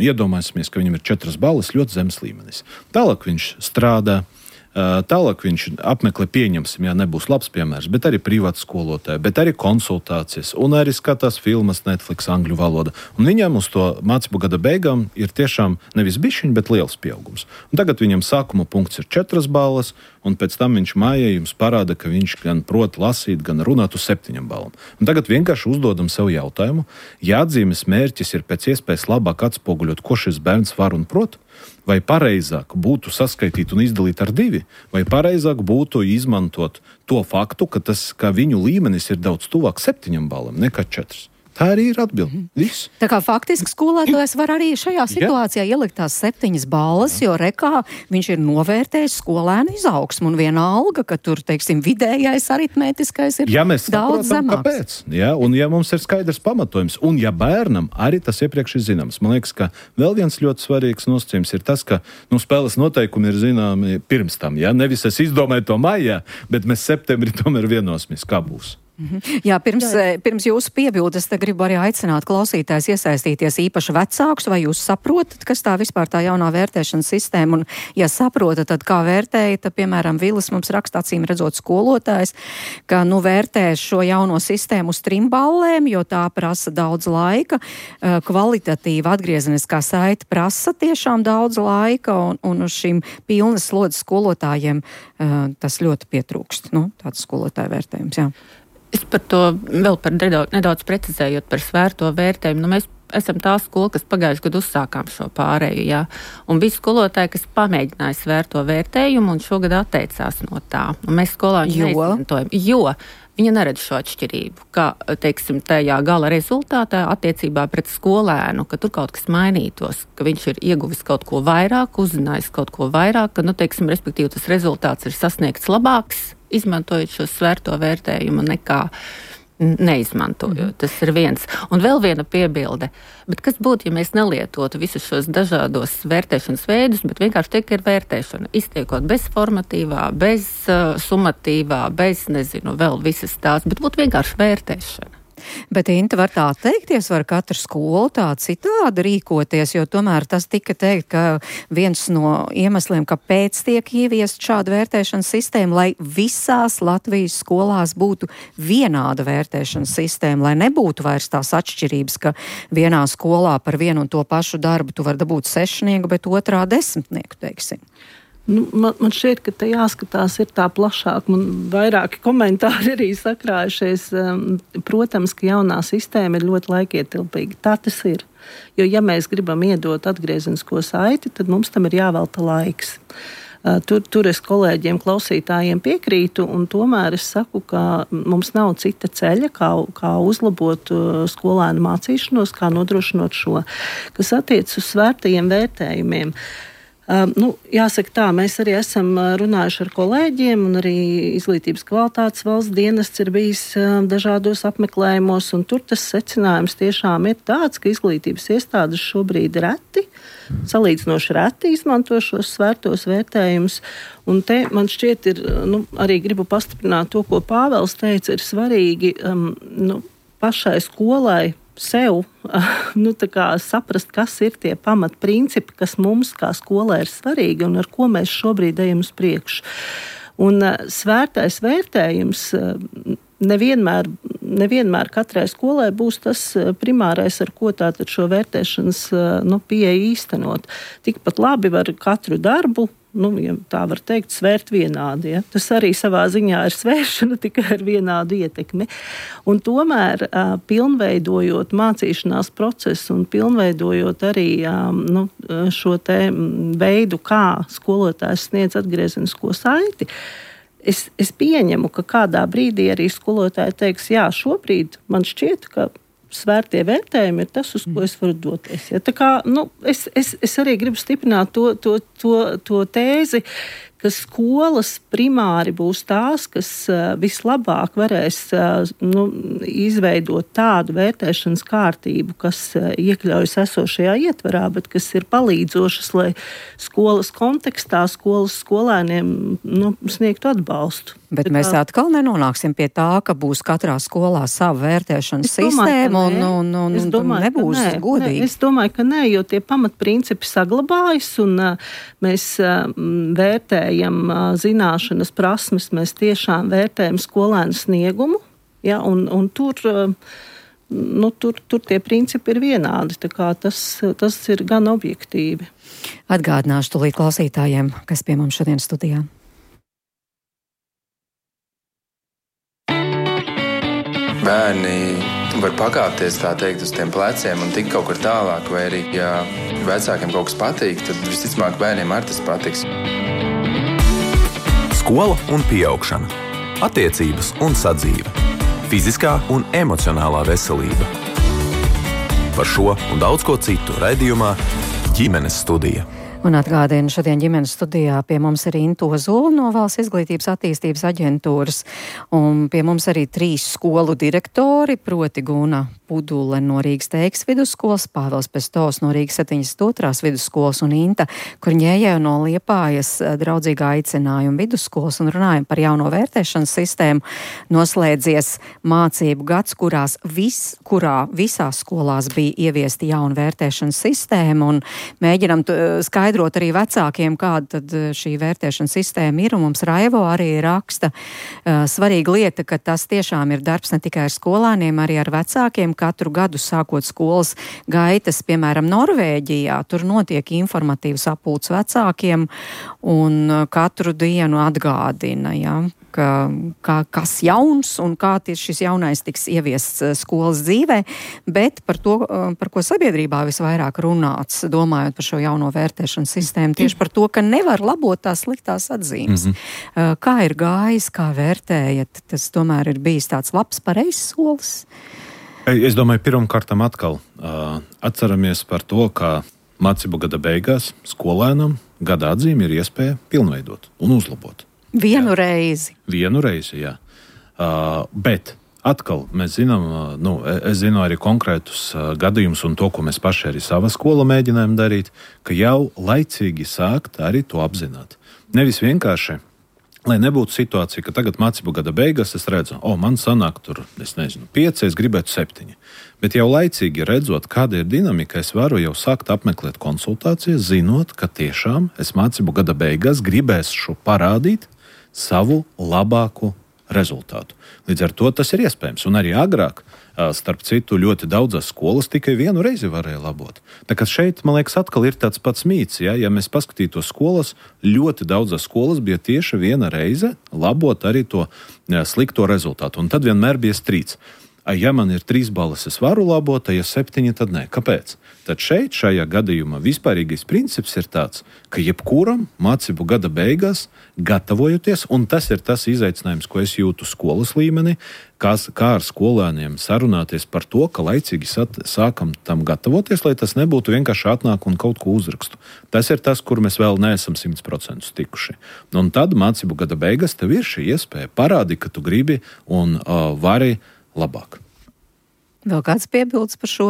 G: iedomāsimies, ka viņam ir 4 balles, ļoti zemes līmenis. Tālāk viņš strādā, tālāk viņš apmeklē, pieņemsim, nebūs labs piemērs, bet arī privāti skolotāji, bet arī konsultācijas un arī skatās filmas Netflix angļu valoda. Un viņam uz to mācību gada beigām ir tiešām nevis bišķiņ, bet liels pieaugums. Un tagad viņam sākuma punkts ir 4 balles, un pēc tam viņš mājā jums parāda, ka viņš gan prot lasīt, gan runāt uz 7 balām. Un tagad vienkārši uzdodam sev jautājumu, ja atzīmes mērķis ir pēc iespējas labāk atspoguļot, ko šis bērns var un prot, vai pareizāk būtu saskaitīt un izdalīt ar 2, vai pareizāk būtu izmantot to faktu, ka viņu līmenis ir daudz tuvāk 7 balām nekā 4. Tā arī ir atbilde. Viss.
C: Tā kā faktiski skolētājs var arī šajā situācijā ielikt tās 7 balles, jo rekā viņš ir novērtējis skolēnu izaugsmu un vienalga, ka tur, teiksim, vidējais aritmētiskais ir daudz zemāks.
G: Kāpēc? Un ja mums ir skaidrs pamatojums, un ja bērnam arī tas iepriekš ir zināms. Man liekas, ka vēl viens ļoti svarīgs nosacījums ir tas, ka spēles noteikumi ir zināmi pirms tam. Nevis es izdomāju to maijā, bet mēs septembrī tomēr vienosimies, kā būs.
C: Jā, pirms jūsu piebildes te gribu arī aicināt klausītājs iesaistīties īpaši vecākus, vai jūs saprotat, kas tā vispār tā jaunā vērtēšanas sistēma, un ja saprotat, tad kā vērtējat, tad, piemēram, Vilis mums raksta, acīm redzot skolotājs, ka vērtē šo jauno sistēmu uz 3 ballēm, jo tā prasa daudz laika, kvalitatīva atgriezeniskā saite prasa tiešām daudz laika, un uz šīm pilnas slodzes skolotājiem tas ļoti pietrūkst, tāds skolotāju vērtējums, jā.
F: Es par to vēl nedaudz precizējot par svērto vērtējumu. Mēs esam tā skola, kas pagājušajā gadā uzsākām šo pārēju, un bija skolotāji, kas pamēģināja svērto vērtējumu un šogad atteicās no tā. Un mēs skolā viņu neizmantojam, jo viņa neredz šo atšķirību, ka, teiksim, tajā gala rezultātā attiecībā pret skolēnu, ka tur kaut kas mainītos, ka viņš ir ieguvis kaut ko vairāk, uzzinājis kaut ko vairāk, ka, teiksim, respektīvi tas rezultāts ir sasniegts labāks, izmantojot šo svērto vērtējumu nekā neizmantojot. Tas ir viens. Un vēl viena piebilde. Bet kas būtu, ja mēs nelietotu visus šos dažādos vērtēšanas veidus, bet vienkārši tiek ir vērtēšana, iztiekot bez formatīvā, bez sumatīvā, bez, vēl visas tās, bet būtu vienkārši vērtēšana.
C: Bet, Inta, var tā teikties, var katra skola tā citādi rīkoties, jo tomēr tas tika teikt, ka viens no iemesliem, kāpēc tiek ieviest šāda vērtēšanas sistēma, lai visās Latvijas skolās būtu vienāda vērtēšanas sistēma, lai nebūtu vairs tās atšķirības, ka vienā skolā par vienu un to pašu darbu tu var dabūt 6, bet otrā 10, teiksim.
D: Man šķiet, ka te jāskatās ir tā plašāk, man vairāki komentāri arī sakrājušies. Protams, ka jaunā sistēma ir ļoti laikietilpīga. Tā tas ir. Jo, ja mēs gribam iedot atgriezenisko saiti, tad mums tam ir jāvelta laiks. Tur es kolēģiem, klausītājiem piekrītu, un tomēr es saku, ka mums nav cita ceļa, kā uzlabot skolēnu mācīšanos, kā nodrošinot šo, kas attiecas uz svērtajiem vērtējumiem. Jāsaka tā, mēs arī esam runājuši ar kolēģiem, un arī Izglītības kvalitātes valsts dienests ir bijis dažādos apmeklējumos, un tur tas secinājums tiešām ir tāds, ka izglītības iestādes šobrīd salīdzinoši reti izmanto šos svērtos vērtējumus. Un te man šķiet ir, arī gribu pastiprināt to, ko Pāvels teica, ir svarīgi pašai skolai sev saprast, kas ir tie pamatprincipi, kas mums kā skolai ir svarīgi un ar ko mēs šobrīd ejam uz priekšu. Un svērtais vērtējums nevienmēr katrai skolai būs tas primārais, ar ko tātad šo vērtēšanas pieeju īstenot. Tikpat labi var katru darbu, ja tā var teikt, svērt vienādi. Ja? Tas arī savā ziņā ir svēršana tikai ar vienādu ietekmi. Un tomēr pilnveidojot mācīšanās procesu un pilnveidojot arī šo te veidu, kā skolotājs sniedz atgriezenisko saiti, Es pieņemu, ka kādā brīdī arī skolotāji teiks, jā, šobrīd man šķiet, ka svērtie vērtējumi ir tas, uz ko es varu doties. Ja, tā kā, es arī gribu stiprināt to tēzi, ka skolas primāri būs tās, kas vislabāk varēs izveidot tādu vērtēšanas kārtību, kas iekļaujas esošajā ietvarā, bet kas ir palīdzošas, lai skolas kontekstā skolas skolēniem sniegtu atbalstu.
C: Bet mēs atkal nenonāksim pie tā, ka būs katrā skolā sava vērtēšanas sistēma un nebūs godīgi.
D: Es domāju, ka nē, jo tie pamatprincipi saglabājas un mēs vērtējam zināšanas prasmes, mēs tiešām vērtējam skolēnu sniegumu, ja, un tur tie principi ir vienādi, tā kā tas ir gan objektīvi.
C: Atgādināšu tūlīt klausītājiem, kas pie mums šodien studijā.
A: Bērni var pakāpties, tā teikt, uz tiem pleciem un tikt kaut kur tālāk, vai arī, ja vecākiem kaut kas patīk, tad visticamāk bērniem arī tas patiks.
B: Skola un pieaugšana, attiecības un sadzīve, fiziskā un emocionālā veselība. Par šo un daudz ko citu raidījumā Ģimenes studija.
C: Un atgādinu, šodien ģimenes studijā pie mums ir Inta Ozola no Valsts izglītības attīstības aģentūras, un pie mums arī 3 skolu direktori, proti Guna Pudule no Rīgas Teikas vidusskolas, Pāvels Pestovs no Rīgas 72. Vidusskolas un Inta Kurņēja no Liepājas draudzīgā aicinājuma vidusskolas, un runājam par jauno vērtēšanas sistēmu. Noslēdzies mācību gads, kurā visās skolās bija ieviesta jauna vērtēšanas sistēma, un mēģinam skaidrot arī vecākiem, kāda tad šī vērtēšanas sistēma ir, un mums Raivo arī raksta svarīga lieta, ka tas tiešām ir darbs ne tikai ar skolāniem, arī ar vecākiem. Katru gadu sākot skolas gaitas, piemēram, Norvēģijā, tur notiek informatīvs sapulcs vecākiem un katru dienu atgādina, ja, kas jauns un kā šis jaunais tiks ieviests skolas dzīvē, bet par to, par ko sabiedrībā visvairāk runāts, domājot par šo jauno vērtēšanas sistēmu, tieši par to, ka nevar labot tās sliktās atzīmes. Kā ir gājis, kā vērtējat, tas tomēr ir bijis tāds labs, pareizs solis?
G: Es domāju, pirmkārtam atkal atceramies par to, ka mācību gada beigās skolēnam gada atzīmi ir iespēja pilnveidot un uzlabot.
C: Vienu reizi, jā.
G: Bet atkal mēs zinām, es zinu arī konkrētus gadījumus un to, ko mēs paši arī savā skolā mēģinājām darīt, ka jau laicīgi sākt arī to apzināt. Nevis vienkārši, lai nebūtu situācija, ka tagad mācību gada beigās es redzu, man sanāk tur, 5, es gribētu 7. Bet jau laicīgi redzot, kāda ir dinamika, es varu jau sākt apmeklēt konsultācijas, zinot, ka tiešām es mācību gada beigās gribēšu parādīt savu labāku rezultātu. Līdz ar to tas ir iespējams. Un arī agrāk, starp citu, ļoti daudzas skolas tikai vienu reizi varēja labot. Tā kā šeit, man liekas, atkal ir tāds pats mīts. Ja mēs paskatītos skolas, ļoti daudzas skolas bija tieši viena reize labot arī to slikto rezultātu. Un tad vienmēr bija strīds. Ja man ir 3 balles, es varu labot, ja 7, tad nē. Kāpēc? Tad šajā gadījumā vispārīgais princips ir tāds, ka jebkuram mācību gada beigās gatavojoties, un tas ir tas izaicinājums, ko es jūtu skolas līmenī, kā ar skolēniem sarunāties par to, ka laicīgi sākam tam gatavoties, lai tas nebūtu vienkārši atnāk un kaut ko uzrakstu. Tas ir tas, kur mēs vēl neesam 100% tikuši. Un tad mācību gada beigās tev ir šī iespēja parādīt, ka tu gribi un vari labāk.
C: Vēl kāds piebildes par šo?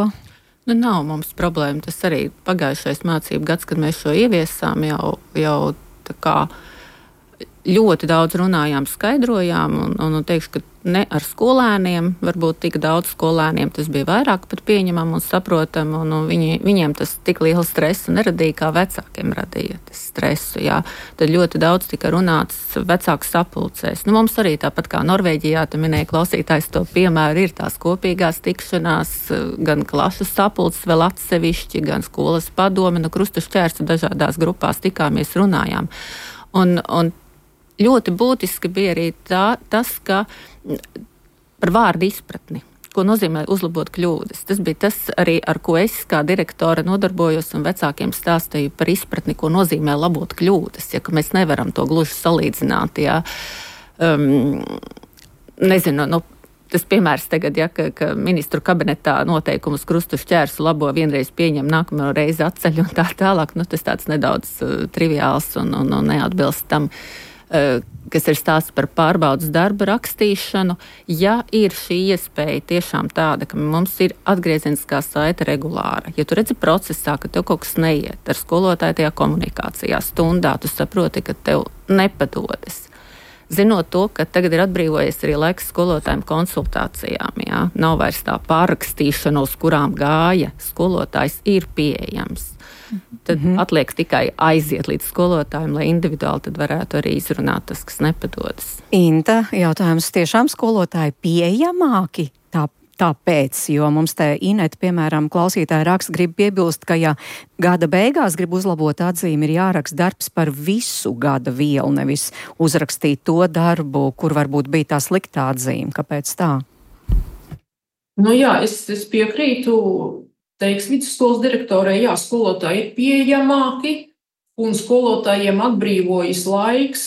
F: Nav mums problēma. Tas arī pagājušais mācību gads, kad mēs šo ieviesām, jau tā kā ļoti daudz runājām, skaidrojām, un teikšu, ka ne ar skolēniem, varbūt tik daudz skolēniem tas bija vairāk pat pieņemam un saprotam, un viņiem tas tik lielu stresu neradīja, kā vecākiem radīja tas stresu, jā. Tad ļoti daudz tika runāts vecāku sapulcēs. Mums arī tāpat kā Norvēģijā, tu minēji klausītājs to piemēru, ir tās kopīgās tikšanās, gan klašu sapulces vēl atsevišķi, gan skolas padome, krustašķērstu dažādās grupās tikāmies, runājām. Un ļoti būtiski bija arī tas, ka par vārdu izpratni, ko nozīmē uzlabot kļūdas. Tas bija tas arī, ar ko es kā direktore nodarbojos un vecākiem stāstīju par izpratni, ko nozīmē labot kļūdas, ja ka mēs nevaram to gluži salīdzināt. Ja. Nezinu, tas piemērs tagad, ja, ka ministru kabinetā noteikumus krustašķērsu labo, vienreiz pieņem, nākamo reizi atceļ un tā tālāk. Tas tāds nedaudz triviāls un neatbilst tam, kas ir stāsts par pārbaudas darba rakstīšanu. Ja ir šī iespēja tiešām tāda, ka mums ir atgriezeniskā saite regulāra, ja tu redzi procesā, ka tev kaut kas neiet ar skolotāju tajā komunikācijā stundā, tu saproti, ka tev nepadodas. Zinot to, ka tagad ir atbrīvojies arī laiks skolotājiem konsultācijām, jā, nav vairs tā pārrakstīšana, uz kurām gāja, skolotājs ir pieejams. Tad atliek tikai aiziet līdz skolotājiem, lai individuāli tad varētu arī izrunāt tas, kas nepadodas.
C: Inta, jautājums, tiešām skolotāji pieejamāki? Tāpēc, jo mums te Ineta, piemēram, klausītāja raksta, grib piebilst, ka ja gada beigās grib uzlabot atzīmi, ir jāraksta darbs par visu gada vielu, nevis uzrakstīt to darbu, kur varbūt bija tā sliktā atzīme. Kāpēc tā?
E: Jā, es piekrītu. Teiks vidusskolas direktorei, jā, skolotāji ir pieejamāki un skolotājiem atbrīvojas laiks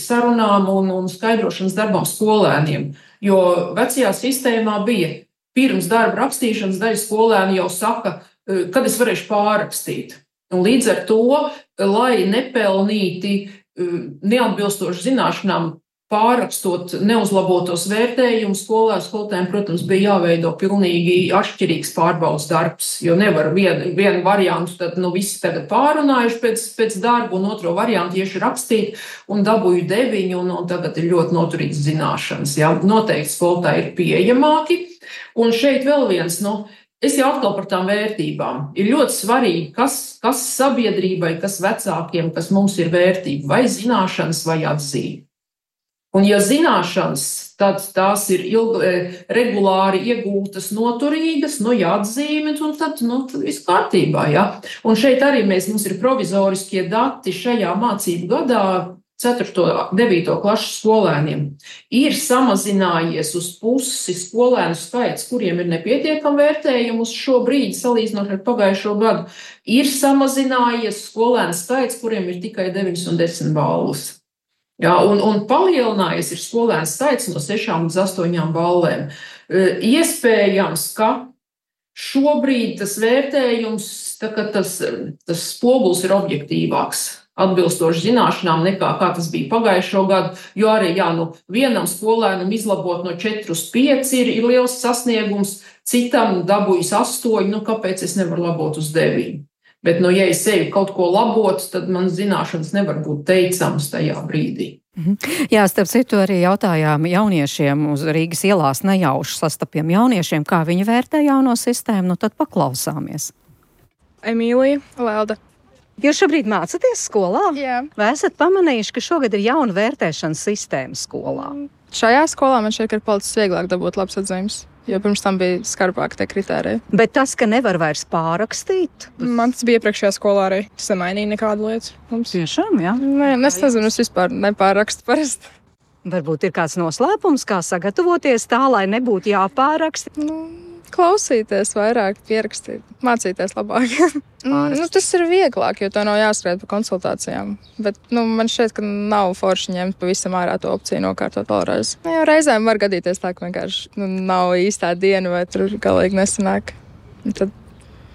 E: sarunām un skaidrošanas darbām skolēniem. Jo vecajā sistēmā bija pirms darba rakstīšanas daļa skolēni jau saka, kad es varēšu pārrakstīt. Un līdz ar to, lai nepelnīti neatbilstoši zināšanām pārrakstot neuzlabotos vērtējumus, skolotājiem, protams, bija jāveido pilnīgi atšķirīgs pārbaudas darbs, jo nevar vienu variantu, tad visi tagad pārunājuši pēc darba, un otro variantu tieši rakstīt, un dabūju 9, un tagad ir ļoti noturīgs zināšanas. Jā. Noteikti skolotāji ir pieejamāki, un šeit vēl viens, es jau atkal par tām vērtībām. Ir ļoti svarīgi, kas sabiedrībai, kas vecākiem, kas mums ir vērtība, vai zināšanas, vai atzīme. Un ja zināšanas, tad tās ir regulāri iegūtas, noturīgas, ja atzīmes, un tad viss kārtībā. Ja? Un šeit arī mums ir provizoriskie dati šajā mācību gadā 4. un 9. klašu skolēniem. Ir samazinājies uz pusi skolēnu skaits, kuriem ir nepietiekami vērtējumi uz šo brīdi, salīdzinot ar pagājušo gadu. Ir samazinājies skolēnu skaits, kuriem ir tikai 9 un 10 balvas. Jā, un palielinājies ir skolēnu skaits no 6 līdz 8 ballēm. Iespējams, ka šobrīd tas vērtējums, tas spogulis ir objektīvāks, atbilstoši zināšanām nekā kā tas bija pagājušo gadu, jo arī vienam skolēnam izlabot no 4 uz 5 ir liels sasniegums, citam dabūjis 8, kāpēc es nevaru labot uz 9? Bet, ja es eju kaut ko labot, tad man zināšanas nevar būt teicamas tajā brīdī.
C: Jā, starp citu arī jautājām jauniešiem uz Rīgas ielās nejauši sastapiem jauniešiem, kā viņi vērtē jauno sistēmu, tad paklausāmies.
H: Emīlija, Lelda.
C: Jūs šobrīd mācaties skolā?
H: Jā.
C: Vai esat pamanījuši, ka šogad ir jauna vērtēšanas sistēma skolā?
H: Šajā skolā man šķiet, ka ir palicis vieglāk dabūt labs atzīmes. Jo pirms tam bija skarbāk tie kritēriji.
C: Bet tas, ka nevar vairs pārrakstīt?
H: Man tas bija iepriekšējā skolā arī. Tas nemainīja nekādu lietu.
C: Tiešām, jā?
H: Nē, es nezinu, es vispār nepārrakstu parasti.
C: Varbūt ir kāds noslēpums, kā sagatavoties tā, lai nebūtu jāpāraksta?
H: Klausīties vairāk, pierakstīt, mācīties labāk. Tas ir vieglāk, jo tā nav jāskrēt pa konsultācijām. Bet man šķiet, ka nav forši ņemt pavisam ārā to opciju nokārtot vēlreiz. Jo reizēm var gadīties tā, ka vienkārši nav īstā diena vai tur galīgi nesanāk. Tad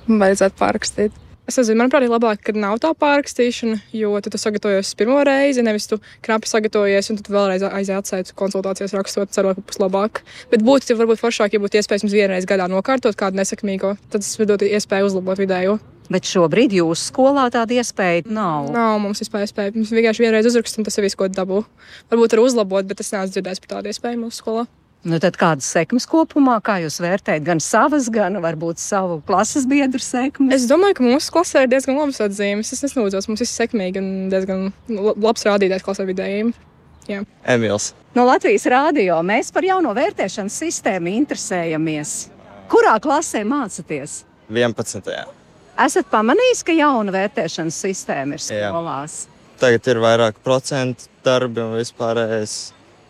H: vajadzētu pārrakstīt. Es nezinu, manuprāt, ir labāk, kad nav tā pārrakstīšana, jo tu sagatavojies pirmo reizi, nevis tu knapi sagatavojies un tad vēlreiz aizsēti konsultācijas rakstot, cerot, ka būs labāk. Bet būtu varbūt foršāk, ja būtu iespējams vienreiz gadā nokārtot kādu nesekmīgo, tad tas dod iespēju uzlabot vidējo.
C: Bet šobrīd jūsu skolā tāda iespēja nav.
H: Nav mums vispār iespēja. Mums vienkārši vienreiz uzrakst un tas ir viss, ko dabū. Varbūt var uzlabot, bet es neesmu dzirdējis par tādu iespēju mūsu skolā.
C: Tad kādas sekmes kopumā, kā jūs vērtējat, gan savas, gan varbūt savu klases biedru sekmes?
H: Es domāju, ka mūsu klasē ir diezgan labas atzīmes. Es nesnūdzos, mums viss sekmīgi un diezgan labs rādītājs klasē vidējiem. Jā.
I: Emils.
C: No Latvijas radio mēs par jauno vērtēšanas sistēmu interesējamies. Kurā klasē mācaties?
I: 11.
C: Esat pamanījis, ka jauna vērtēšanas sistēma ir skolās?
I: Jā. Tagad ir vairāk procentu darbi un vispārējais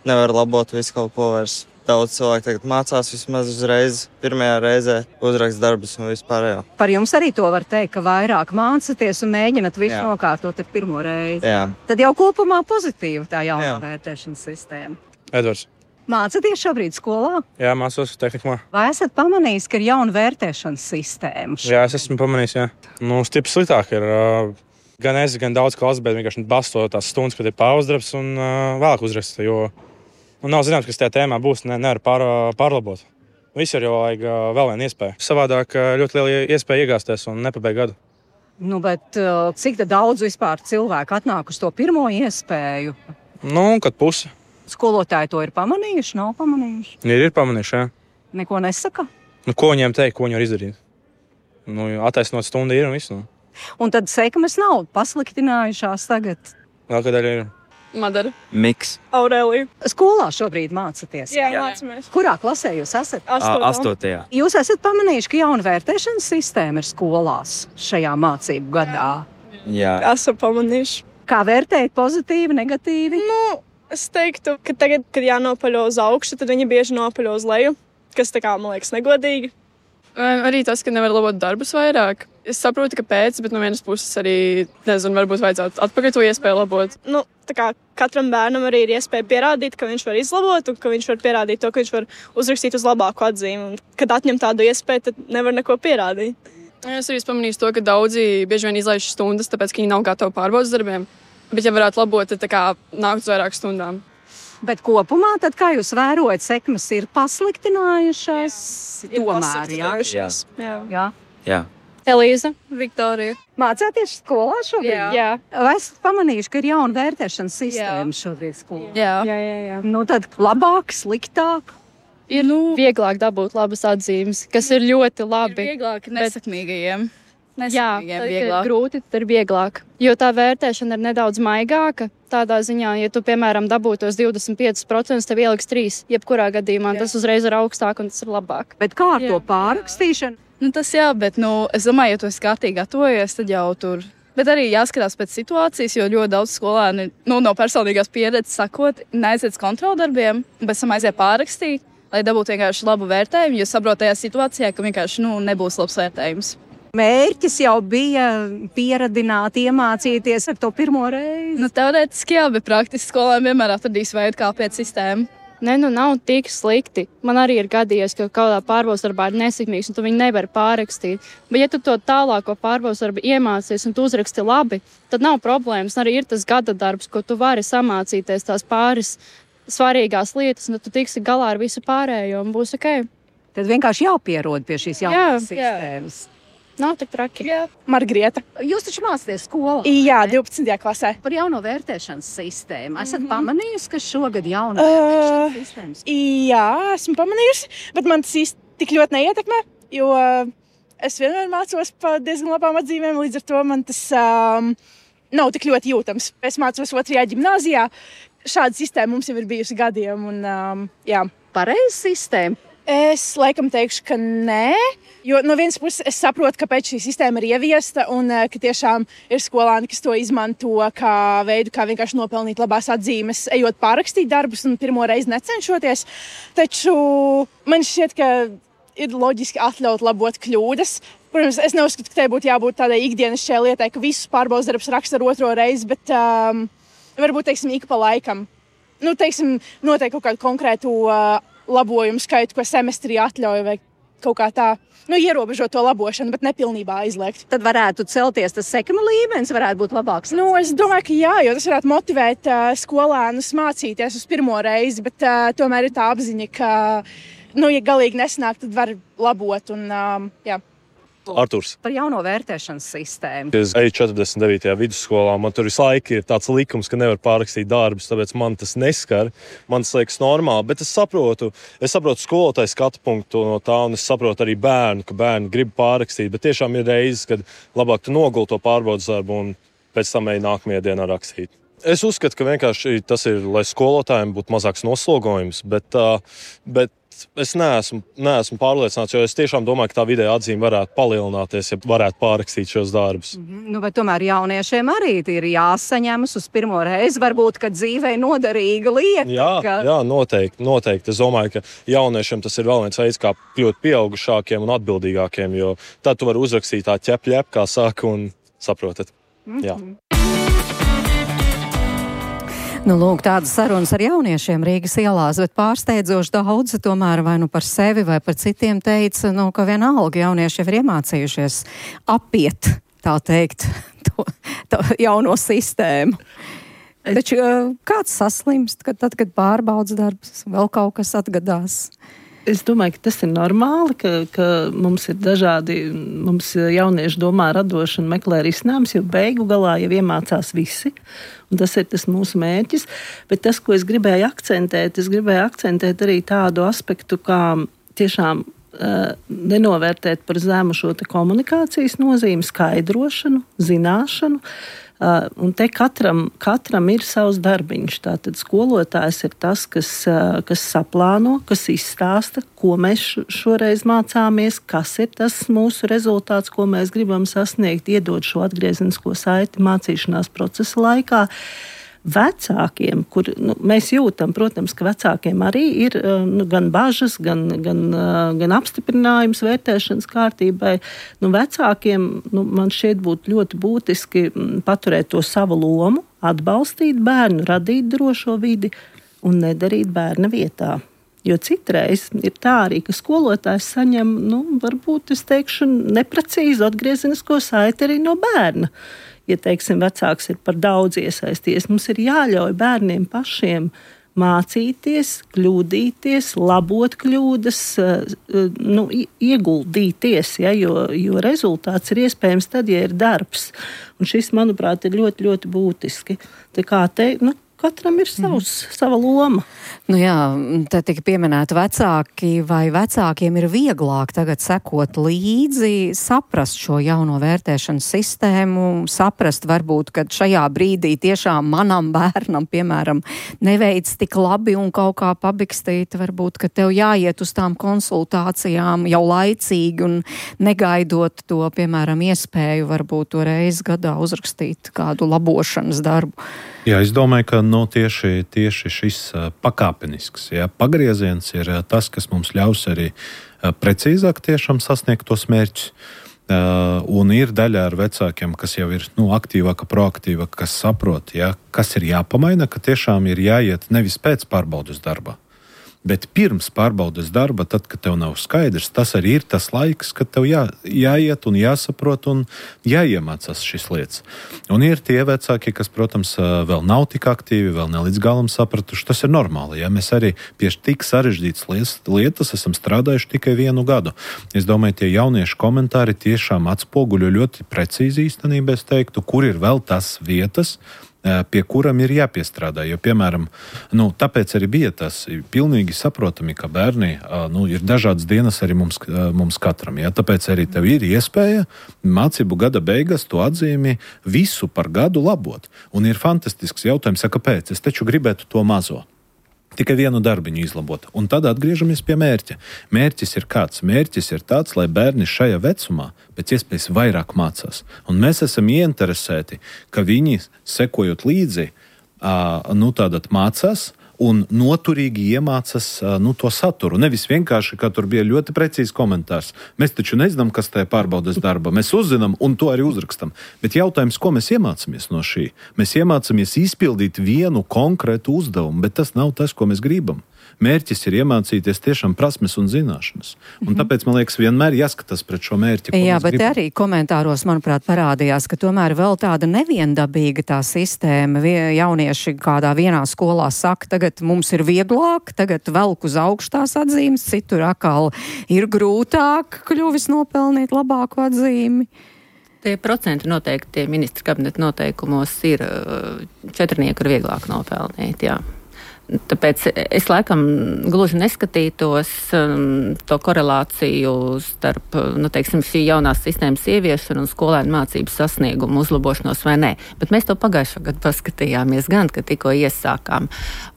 I: nevar labot visu kaut ko vairs. Daudz cilvēku tagad mācās vismaz uzreiz, pirmajā reizē uzrakst darbus un vispārējo.
C: Par jums arī to var teikt, ka vairāk mācaties un mēģināt visu nokārtot ar pirmo reizi.
I: Jā.
C: Tad jau kopumā pozitīva tā jaunā vērtēšanas sistēma.
J: Edvards.
C: Mācaties šobrīd skolā?
J: Jā, mācos tehnikumā.
C: Vai esat pamanījis, ka ir jauna vērtēšanas sistēma?
J: Jā, es esmu pamanījis, jā. Stipri sliktāk ir gan es, gan daudz klases, bet vienkārši basto tās stundas, kad ir pāruzdarbs un vēlāk uzraksta, jo nav zināms, kas tajā tēmā būs, nevar pārlabot. Visur jau vajag vēl vienu iespēju. Savādāk ļoti liela iespēja iegāsties un nepabeigt gadu.
C: Bet cik daudz vispār cilvēku atnāk uz to pirmo iespēju?
J: Kad pusi.
C: Skolotāji to ir pamanījuši, nav pamanījuši?
J: Ir pamanījuši, jā.
C: Neko nesaka?
J: Ko viņiem teikt, ko viņi var izdarīt? Attaisnot stundu ir un visu.
C: Un tad sekmes nav pasliktinājušās tagad?
J: Vēl kādēļ ir?
H: Madara.
I: Miks.
H: Aurelija.
C: Skolā šobrīd mācaties?
H: Jā, mācāmies.
C: Kurā klasē jūs esat?
I: 8.
C: Jūs esat pamanījuši, ka jauna vērtēšanas sistēma ir skolās šajā mācību gadā?
I: Jā.
H: Esam pamanījuši.
C: Kā vērtējat pozitīvi, negatīvi?
H: Es teiktu, ka tagad, kad jānopaļo uz augšu, tad viņi bieži nopaļo uz leju, kas man liekas negodīgi. Arī tas, ka nevar labot darbus vairāk. Es saprotu, kāpēc, bet no vienas puses arī, nezinu, varbūt vajadzētu atpakaļ to iespēju labot. Katram bērnam arī ir iespēja pierādīt, ka viņš var izlabot un ka viņš var pierādīt to, ka viņš var uzrakstīt uz labāku atzīmi. Un, kad atņem tādu iespēju, tad nevar neko pierādīt. Es arī pamanīju to, ka daudzi bieži vien izlaiž stundas, tāpēc, ka viņi nav gatavi pārbaudas darbiem. Bet, ja varētu labot, tad nākt uz vairāk stundām.
C: Bet kopumā, tad, kā jūs vērojat, sekmes ir pasliktinājušās?
H: Tomēr,
I: Jā.
H: Elīza, Viktorija.
C: Mācāties skolā šobrīd?
H: Jā.
C: Vai esat pamanījuši, ka ir jauna vērtēšanas sistēma šobrīd skolā?
H: Jā.
C: Tad labāk, sliktāk?
H: Ir vieglāk dabūt labas atzīmes, kas ir ļoti labi.
K: Vieglāk nesakmīgajiem.
H: Jā, ir grūti, tad ir vieglāk. Jo tā vērtēšana ir nedaudz maigāka. Tādā ziņā, ja tu, piemēram, dabūtos 25%, tev ieliks 3. Jebkurā gadījumā tas uzreiz ir augstāk un tas ir labāk.
C: Bet kā ar to pārrakstīšanu?
K: Tas jā, bet, es domāju, ja tu esi kārtīgi gatavojies, tad jau tur. Bet arī jāskatās pēc situācijas, jo ļoti daudz skolēni, no personīgās pieredzes sakot, neaiziet kontroldarbiem, bet sam aiziet pārrakstīt, lai dabūtu vienkārši labu vērtējumu, jo saprot tajā situācijā, ka vienkārši, nebūs labs vērtējums.
C: Mērķis jau bija pieradināt, iemācīties ar to pirmo reizi?
K: Teorētiski jā, bet praktiski skolēni vienmēr atradīs veidu, kā pēc sistēmu.
H: Nav tik slikti. Man arī ir gadījies, ka kādā pārbaudas darbā ir nesekmīgs, un tu viņu nevari pārrakstīt. Bet, ja tu to tālāko pārbaudas darbu iemācies un tu uzraksti labi, tad nav problēmas. Arī ir tas gada darbs, ko tu vari samācīties tās pāris svarīgās lietas, un tad tu tiksi galā ar visu pārējo un būs ok.
C: Tad vienkārši jāpierod pie šīs jaunās sistēmas.
H: Nav tik traki.
L: Margrieta.
C: Jūs taču mācāties skolā?
L: Jā, 12. klasē.
C: Par jauno vērtēšanas sistēmu. Esat pamanījusi, ka šogad jauna vērtēšanas sistēmas?
L: Jā, esmu pamanījusi, bet man tas īsti tik ļoti neietekmē, jo es vienmēr mācos pa diezgan labām atzīmēm, līdz ar to man tas nav tik ļoti jūtams. Es mācos 2. ģimnāzijā. Šāda sistēma mums jau ir bijusi gadiem. Un,
C: Pareiza sistēma?
L: Es laikam teikšu, ka nē. Jo no vienas puses es saprotu, kāpēc šī sistēma ir ieviesta un ka tiešām ir skolāni, kas to izmanto kā veidu, kā vienkārši nopelnīt labās atzīmes, ejot pārrakstīt darbus un pirmo reizi necenšoties. Taču man šķiet, ka ir loģiski atļaut labot kļūdas. Protams, es neuzskatu, ka tai būtu jābūt tādai ikdienas šai lietai, ka visus pārbaudas darbus raksta ar otro reizi, bet varbūt, teiksim, ik pa laikam. Noteikti kaut kādu konkrētu labojumu skaitu, ko semestrī atļauj vai kaut kā tā. Ierobežot to labošanu, bet nepilnībā aizliegt.
C: Tad varētu celties tas sekuma līmenis, varētu būt labāks.
L: Es domāju, ka jā, jo tas varētu motivēt skolēnus mācīties uz pirmo reizi, bet tomēr ir tā apziņa, ka, ja galīgi nesanāk, tad var labot un, jā.
M: Arturs.
C: Par jauno vērtēšanas sistēmu.
M: Es eju 49. vidusskolā, man tur visu laiku ir tāds likums, ka nevar pārrakstīt darbus, tāpēc man tas neskar. Man tas liekas normāli, bet es saprotu skolotāju skatu punktu no tā, un es saprotu arī bērnu, ka bērni grib pārrakstīt, bet tiešām ir reizes, kad labāk tu noguli to pārbaudas darbu un pēc tam ej nākamajā dienā rakstīt. Es uzskatu, ka vienkārši tas ir, lai skolotājiem būtu mazāks noslogojums, bet es neesmu pārliecināts, jo es tiešām domāju, ka tā vidēja atzīme varētu palielināties, ja varētu pārrakstīt šos darbus.
C: Bet tomēr jauniešiem arī ir jāsaņemas uz pirmo reizi, varbūt, ka dzīvei noderīga lieta.
M: Jā, noteikti. Es domāju, ka jauniešiem tas ir vēl viens veids, kā kļūt pieaugušākiem un atbildīgākiem, jo tad tu vari uzrakstīt tā ķep, kā saka, un saprotat. Jā.
C: Lūk, tādas sarunas ar jauniešiem Rīgas ielās, bet pārsteidzoši daudzi tomēr vai par sevi vai par citiem teica, ka vienalga jaunieši jau ir iemācījušies apiet, tā teikt, to jauno sistēmu. Taču kāds saslimst, tad, kad pārbaudas darbs, vēl kaut kas atgadās?
D: Es domāju, ka tas ir normāli, ka mums ir dažādi, mums jaunieši domā radoši un meklē risinājumus, jo beigu galā jau iemācās visi, un tas ir tas mūsu mērķis. Bet tas, ko es gribēju akcentēt arī tādu aspektu, kā tiešām nenovērtēt par zemu šo te komunikācijas nozīmi, skaidrošanu, zināšanu. Un te katram ir savs darbiņš. Tātad skolotājs ir tas, kas saplāno, kas izstāsta, ko mēs šoreiz mācāmies, kas ir tas mūsu rezultāts, ko mēs gribam sasniegt, iedot šo atgriezenisko saiti mācīšanās procesa laikā. Vecākiem, kur mēs jūtam, protams, ka vecākiem arī ir gan bažas, gan apstiprinājums vērtēšanas kārtībai. Vecākiem man šķiet būtu ļoti būtiski paturēt to savu lomu, atbalstīt bērnu, radīt drošo vidi un nedarīt bērna vietā. Jo citreiz ir tā arī, ka skolotājs saņem, varbūt es teikšu, neprecīzu atgriezenisko saiti arī no bērna. Ja, teiksim, vecāks ir par daudz iesaisties, mums ir jāļauj bērniem pašiem mācīties, kļūdīties, labot kļūdas, ieguldīties, jo rezultāts ir iespējams tad, ja ir darbs. Un šis, manuprāt, ir ļoti, ļoti būtiski. Tā kā katram ir sava loma.
C: Te tika pieminēti vecāki, vai vecākiem ir vieglāk tagad sekot līdzi, saprast šo jauno vērtēšanas sistēmu, saprast varbūt, ka šajā brīdī tiešām manam bērnam, piemēram, neveic tik labi un kaut kā pabikstīt, varbūt, ka tev jāiet uz tām konsultācijām jau laicīgi un negaidot to, piemēram, iespēju varbūt to reizi gadā uzrakstīt kādu labošanas darbu.
G: Jā, es domāju, ka tieši šis pakāpenisks pagrieziens ir tas, kas mums ļaus arī precīzāk tiešām sasniegt tos mērķus. Un ir daļa ar vecākiem, kas jau ir aktīvāka, proaktīva, kas saprot, kas ir jāpamaina, ka tiešām ir jāiet nevis pēc pārbaudas darba, bet pirms pārbaudas darba, tad, kad tev nav skaidrs, tas arī ir tas laiks, kad tev jāiet un jāsaprot un jāiemācās šīs lietas. Un ir tie vecāki, kas, protams, vēl nav tik aktīvi, vēl ne līdz galam sapratuši. Tas ir normāli. Mēs arī pie tik sarežģītas lietas esam strādājuši tikai 1 gadu. Es domāju, tie jauniešu komentāri tiešām atspoguļo ļoti precīzi īstenībā, es teiktu, kur ir vēl tas vietas, pie kuram ir jāpiestrādā. Jo, piemēram, tāpēc arī bija tas pilnīgi saprotami, ka bērni, ir dažādas dienas arī mums katram. Tāpēc arī tev ir iespēja mācību gada beigās to atzīmi visu par gadu labot. Un ir fantastisks jautājums, kāpēc? Es taču gribētu to mazo. Tikai vienu darbiņu izlabot. Un tad atgriežamies pie mērķa. Mērķis ir kāds? Mērķis ir tāds, lai bērni šajā vecumā pēc iespējas vairāk mācās. Un mēs esam ieinteresēti, ka viņi, sekojot līdzi, tātad mācās un noturīgi iemācās to saturu. Nevis vienkārši, kā tur bija ļoti precīzi komentārs. Mēs taču nezinām, kas tajā pārbaudes darba. Mēs uzzinām un to arī uzrakstam. Bet jautājums, ko mēs iemācāmies no šī? Mēs iemācāmies izpildīt vienu konkrētu uzdevumu, bet tas nav tas, ko mēs gribam. Mērķis ir iemācīties tiešām prasmes un zināšanas. Un tāpēc, man liekas, vienmēr jāskatās pret šo mērķi.
C: Jā, bet gribam. Arī komentāros, manuprāt, parādījās, ka tomēr vēl tāda neviendabīga tā sistēma. Jaunieši kādā vienā skolā saka, tagad mums ir vieglāk, tagad velk uz augšu tās atzīmes, citur atkal ir grūtāk kļuvis nopelnīt labāku atzīmi.
F: Tie procenti noteikti ministra kabineta noteikumos ir 4 ir vieglāk nopelnīt, jā. Tāpēc es laikam gluži neskatītos to korelāciju starp, šī jaunās sistēmas ieviešanu un skolēnu mācību sasniegumu uzlabošanos vai nē. Bet mēs to pagājušā gadu paskatījāmies gan, kad tikko iesākām.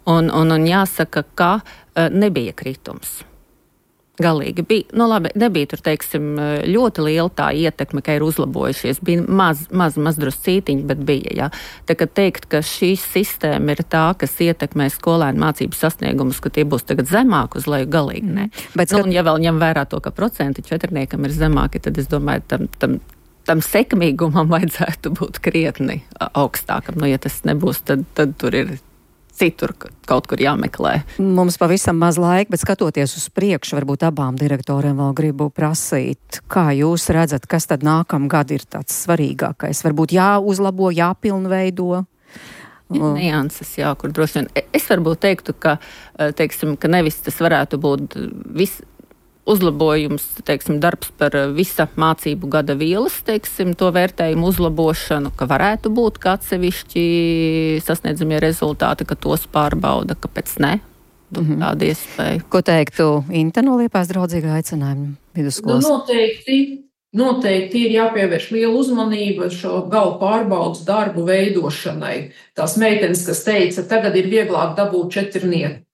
F: Un jāsaka, ka nebija kritums. Galīgi bija, nebija tur, ļoti liela tā ietekme, ka ir uzlabojušies. Bija maz druscītiņi, bet bija, jā. Tā kā teikt, ka šī sistēma ir tā, kas ietekmē skolēnu mācību sasniegumus, ka tie būs tagad zemāk uz leju, galīgi ne. Bet, un ja vēl ņem vērā to, ka procenti 4 ir zemāki, tad es domāju, tam sekmīgumam vajadzētu būt krietni augstākam. Ja tas nebūs, tad tur ir citur kaut kur jāmeklē.
C: Mums pavisam maz laika, bet skatoties uz priekšu, varbūt abām direktoriem vēl gribu prasīt, kā jūs redzat, kas tad nākamgad ir tāds svarīgākais? Varbūt jāuzlabo, jāpilnveido?
F: Nianses, jā, kur droši vien. Es varbūt teiktu, ka nevis tas varētu būt uzlabojums, darbs par visa mācību gada vielas, to vērtējumu uzlabošanu, ka varētu būt kā atsevišķi sasniedzamie rezultāti, ka tos pārbauda, kāpēc ne? Tāda iespēja.
C: Ko teiktu Inta no Liepājas draudzīga aicinājuma vidusskolas?
E: Noteikti ir jāpievērš liela uzmanība šo gala pārbaudas darbu veidošanai. Tās meitenes, kas teica, tagad ir vieglāk dabūt 4.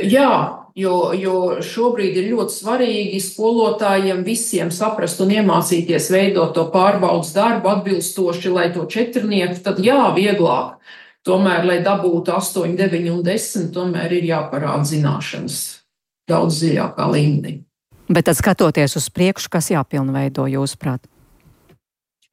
E: Jā, jo šobrīd ir ļoti svarīgi skolotājiem visiem saprast un iemācīties veidot to pārbaudas darbu atbilstoši, lai to 4, tad vieglāk. Tomēr, lai dabūtu 8, 9 un 10, tomēr ir jāparāda zināšanas daudz dziļākā līmenī.
C: Bet tad skatoties uz priekšu, kas jāpilnveido jūsuprāt?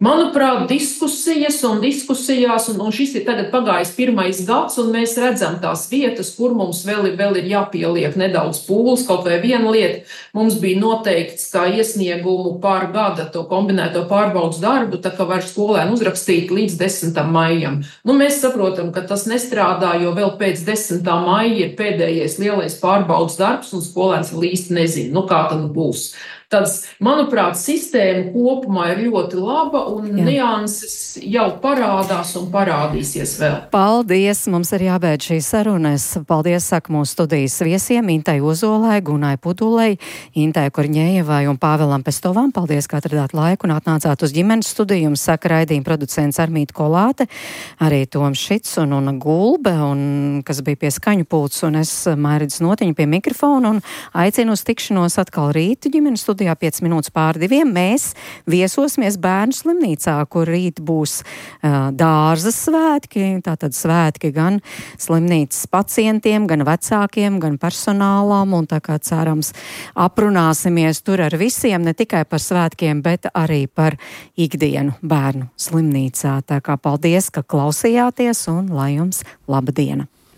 E: Manuprāt, diskusijās, un šis ir tagad pagājis 1. gads, un mēs redzam tās vietas, kur mums vēl ir jāpieliek nedaudz pūles, kaut vai viena lieta. Mums bija noteikts, kā iesniegumu pār gada to kombinēto pārbaudas darbu, tā kā var skolēni uzrakstīt līdz 10. maijam. Mēs saprotam, ka tas nestrādā, jo vēl pēc 10. maija ir pēdējais lielais pārbaudas darbs, un skolēns vēl īsti nezina, kā tad būs. Tad, manuprāt, sistēma kopumā ir ļoti laba un nianses jau parādās un parādīsies vēl.
C: Paldies! Mums ir jābeidz šīs sarunas. Paldies, saka mūsu studijas viesiem Intai Ozolai, Gunai Pudulei, Intai Korņējevai un Pāvēlam Pestovam. Paldies, ka atradāt laiku un atnācāt uz ģimenes studiju. Saka raidījuma producents Armīta Kolāte, arī Toms Šits un Gulbe, kas bija pie skaņu pults, un es Mairīdas Notiņa pie mikrofona un aicinu uz tikšanos atkal rītu ģimenes studiju. 5 minūtes pār 2. Mēs viesosimies bērnu slimnīcā, kur rīt būs dārza svētki, tātad svētki gan slimnīcas pacientiem, gan vecākiem, gan personālam, un tā kā cerams aprunāsimies tur ar visiem, ne tikai par svētkiem, bet arī par ikdienu bērnu slimnīcā. Tā kā paldies, ka klausījāties, un lai jums laba diena!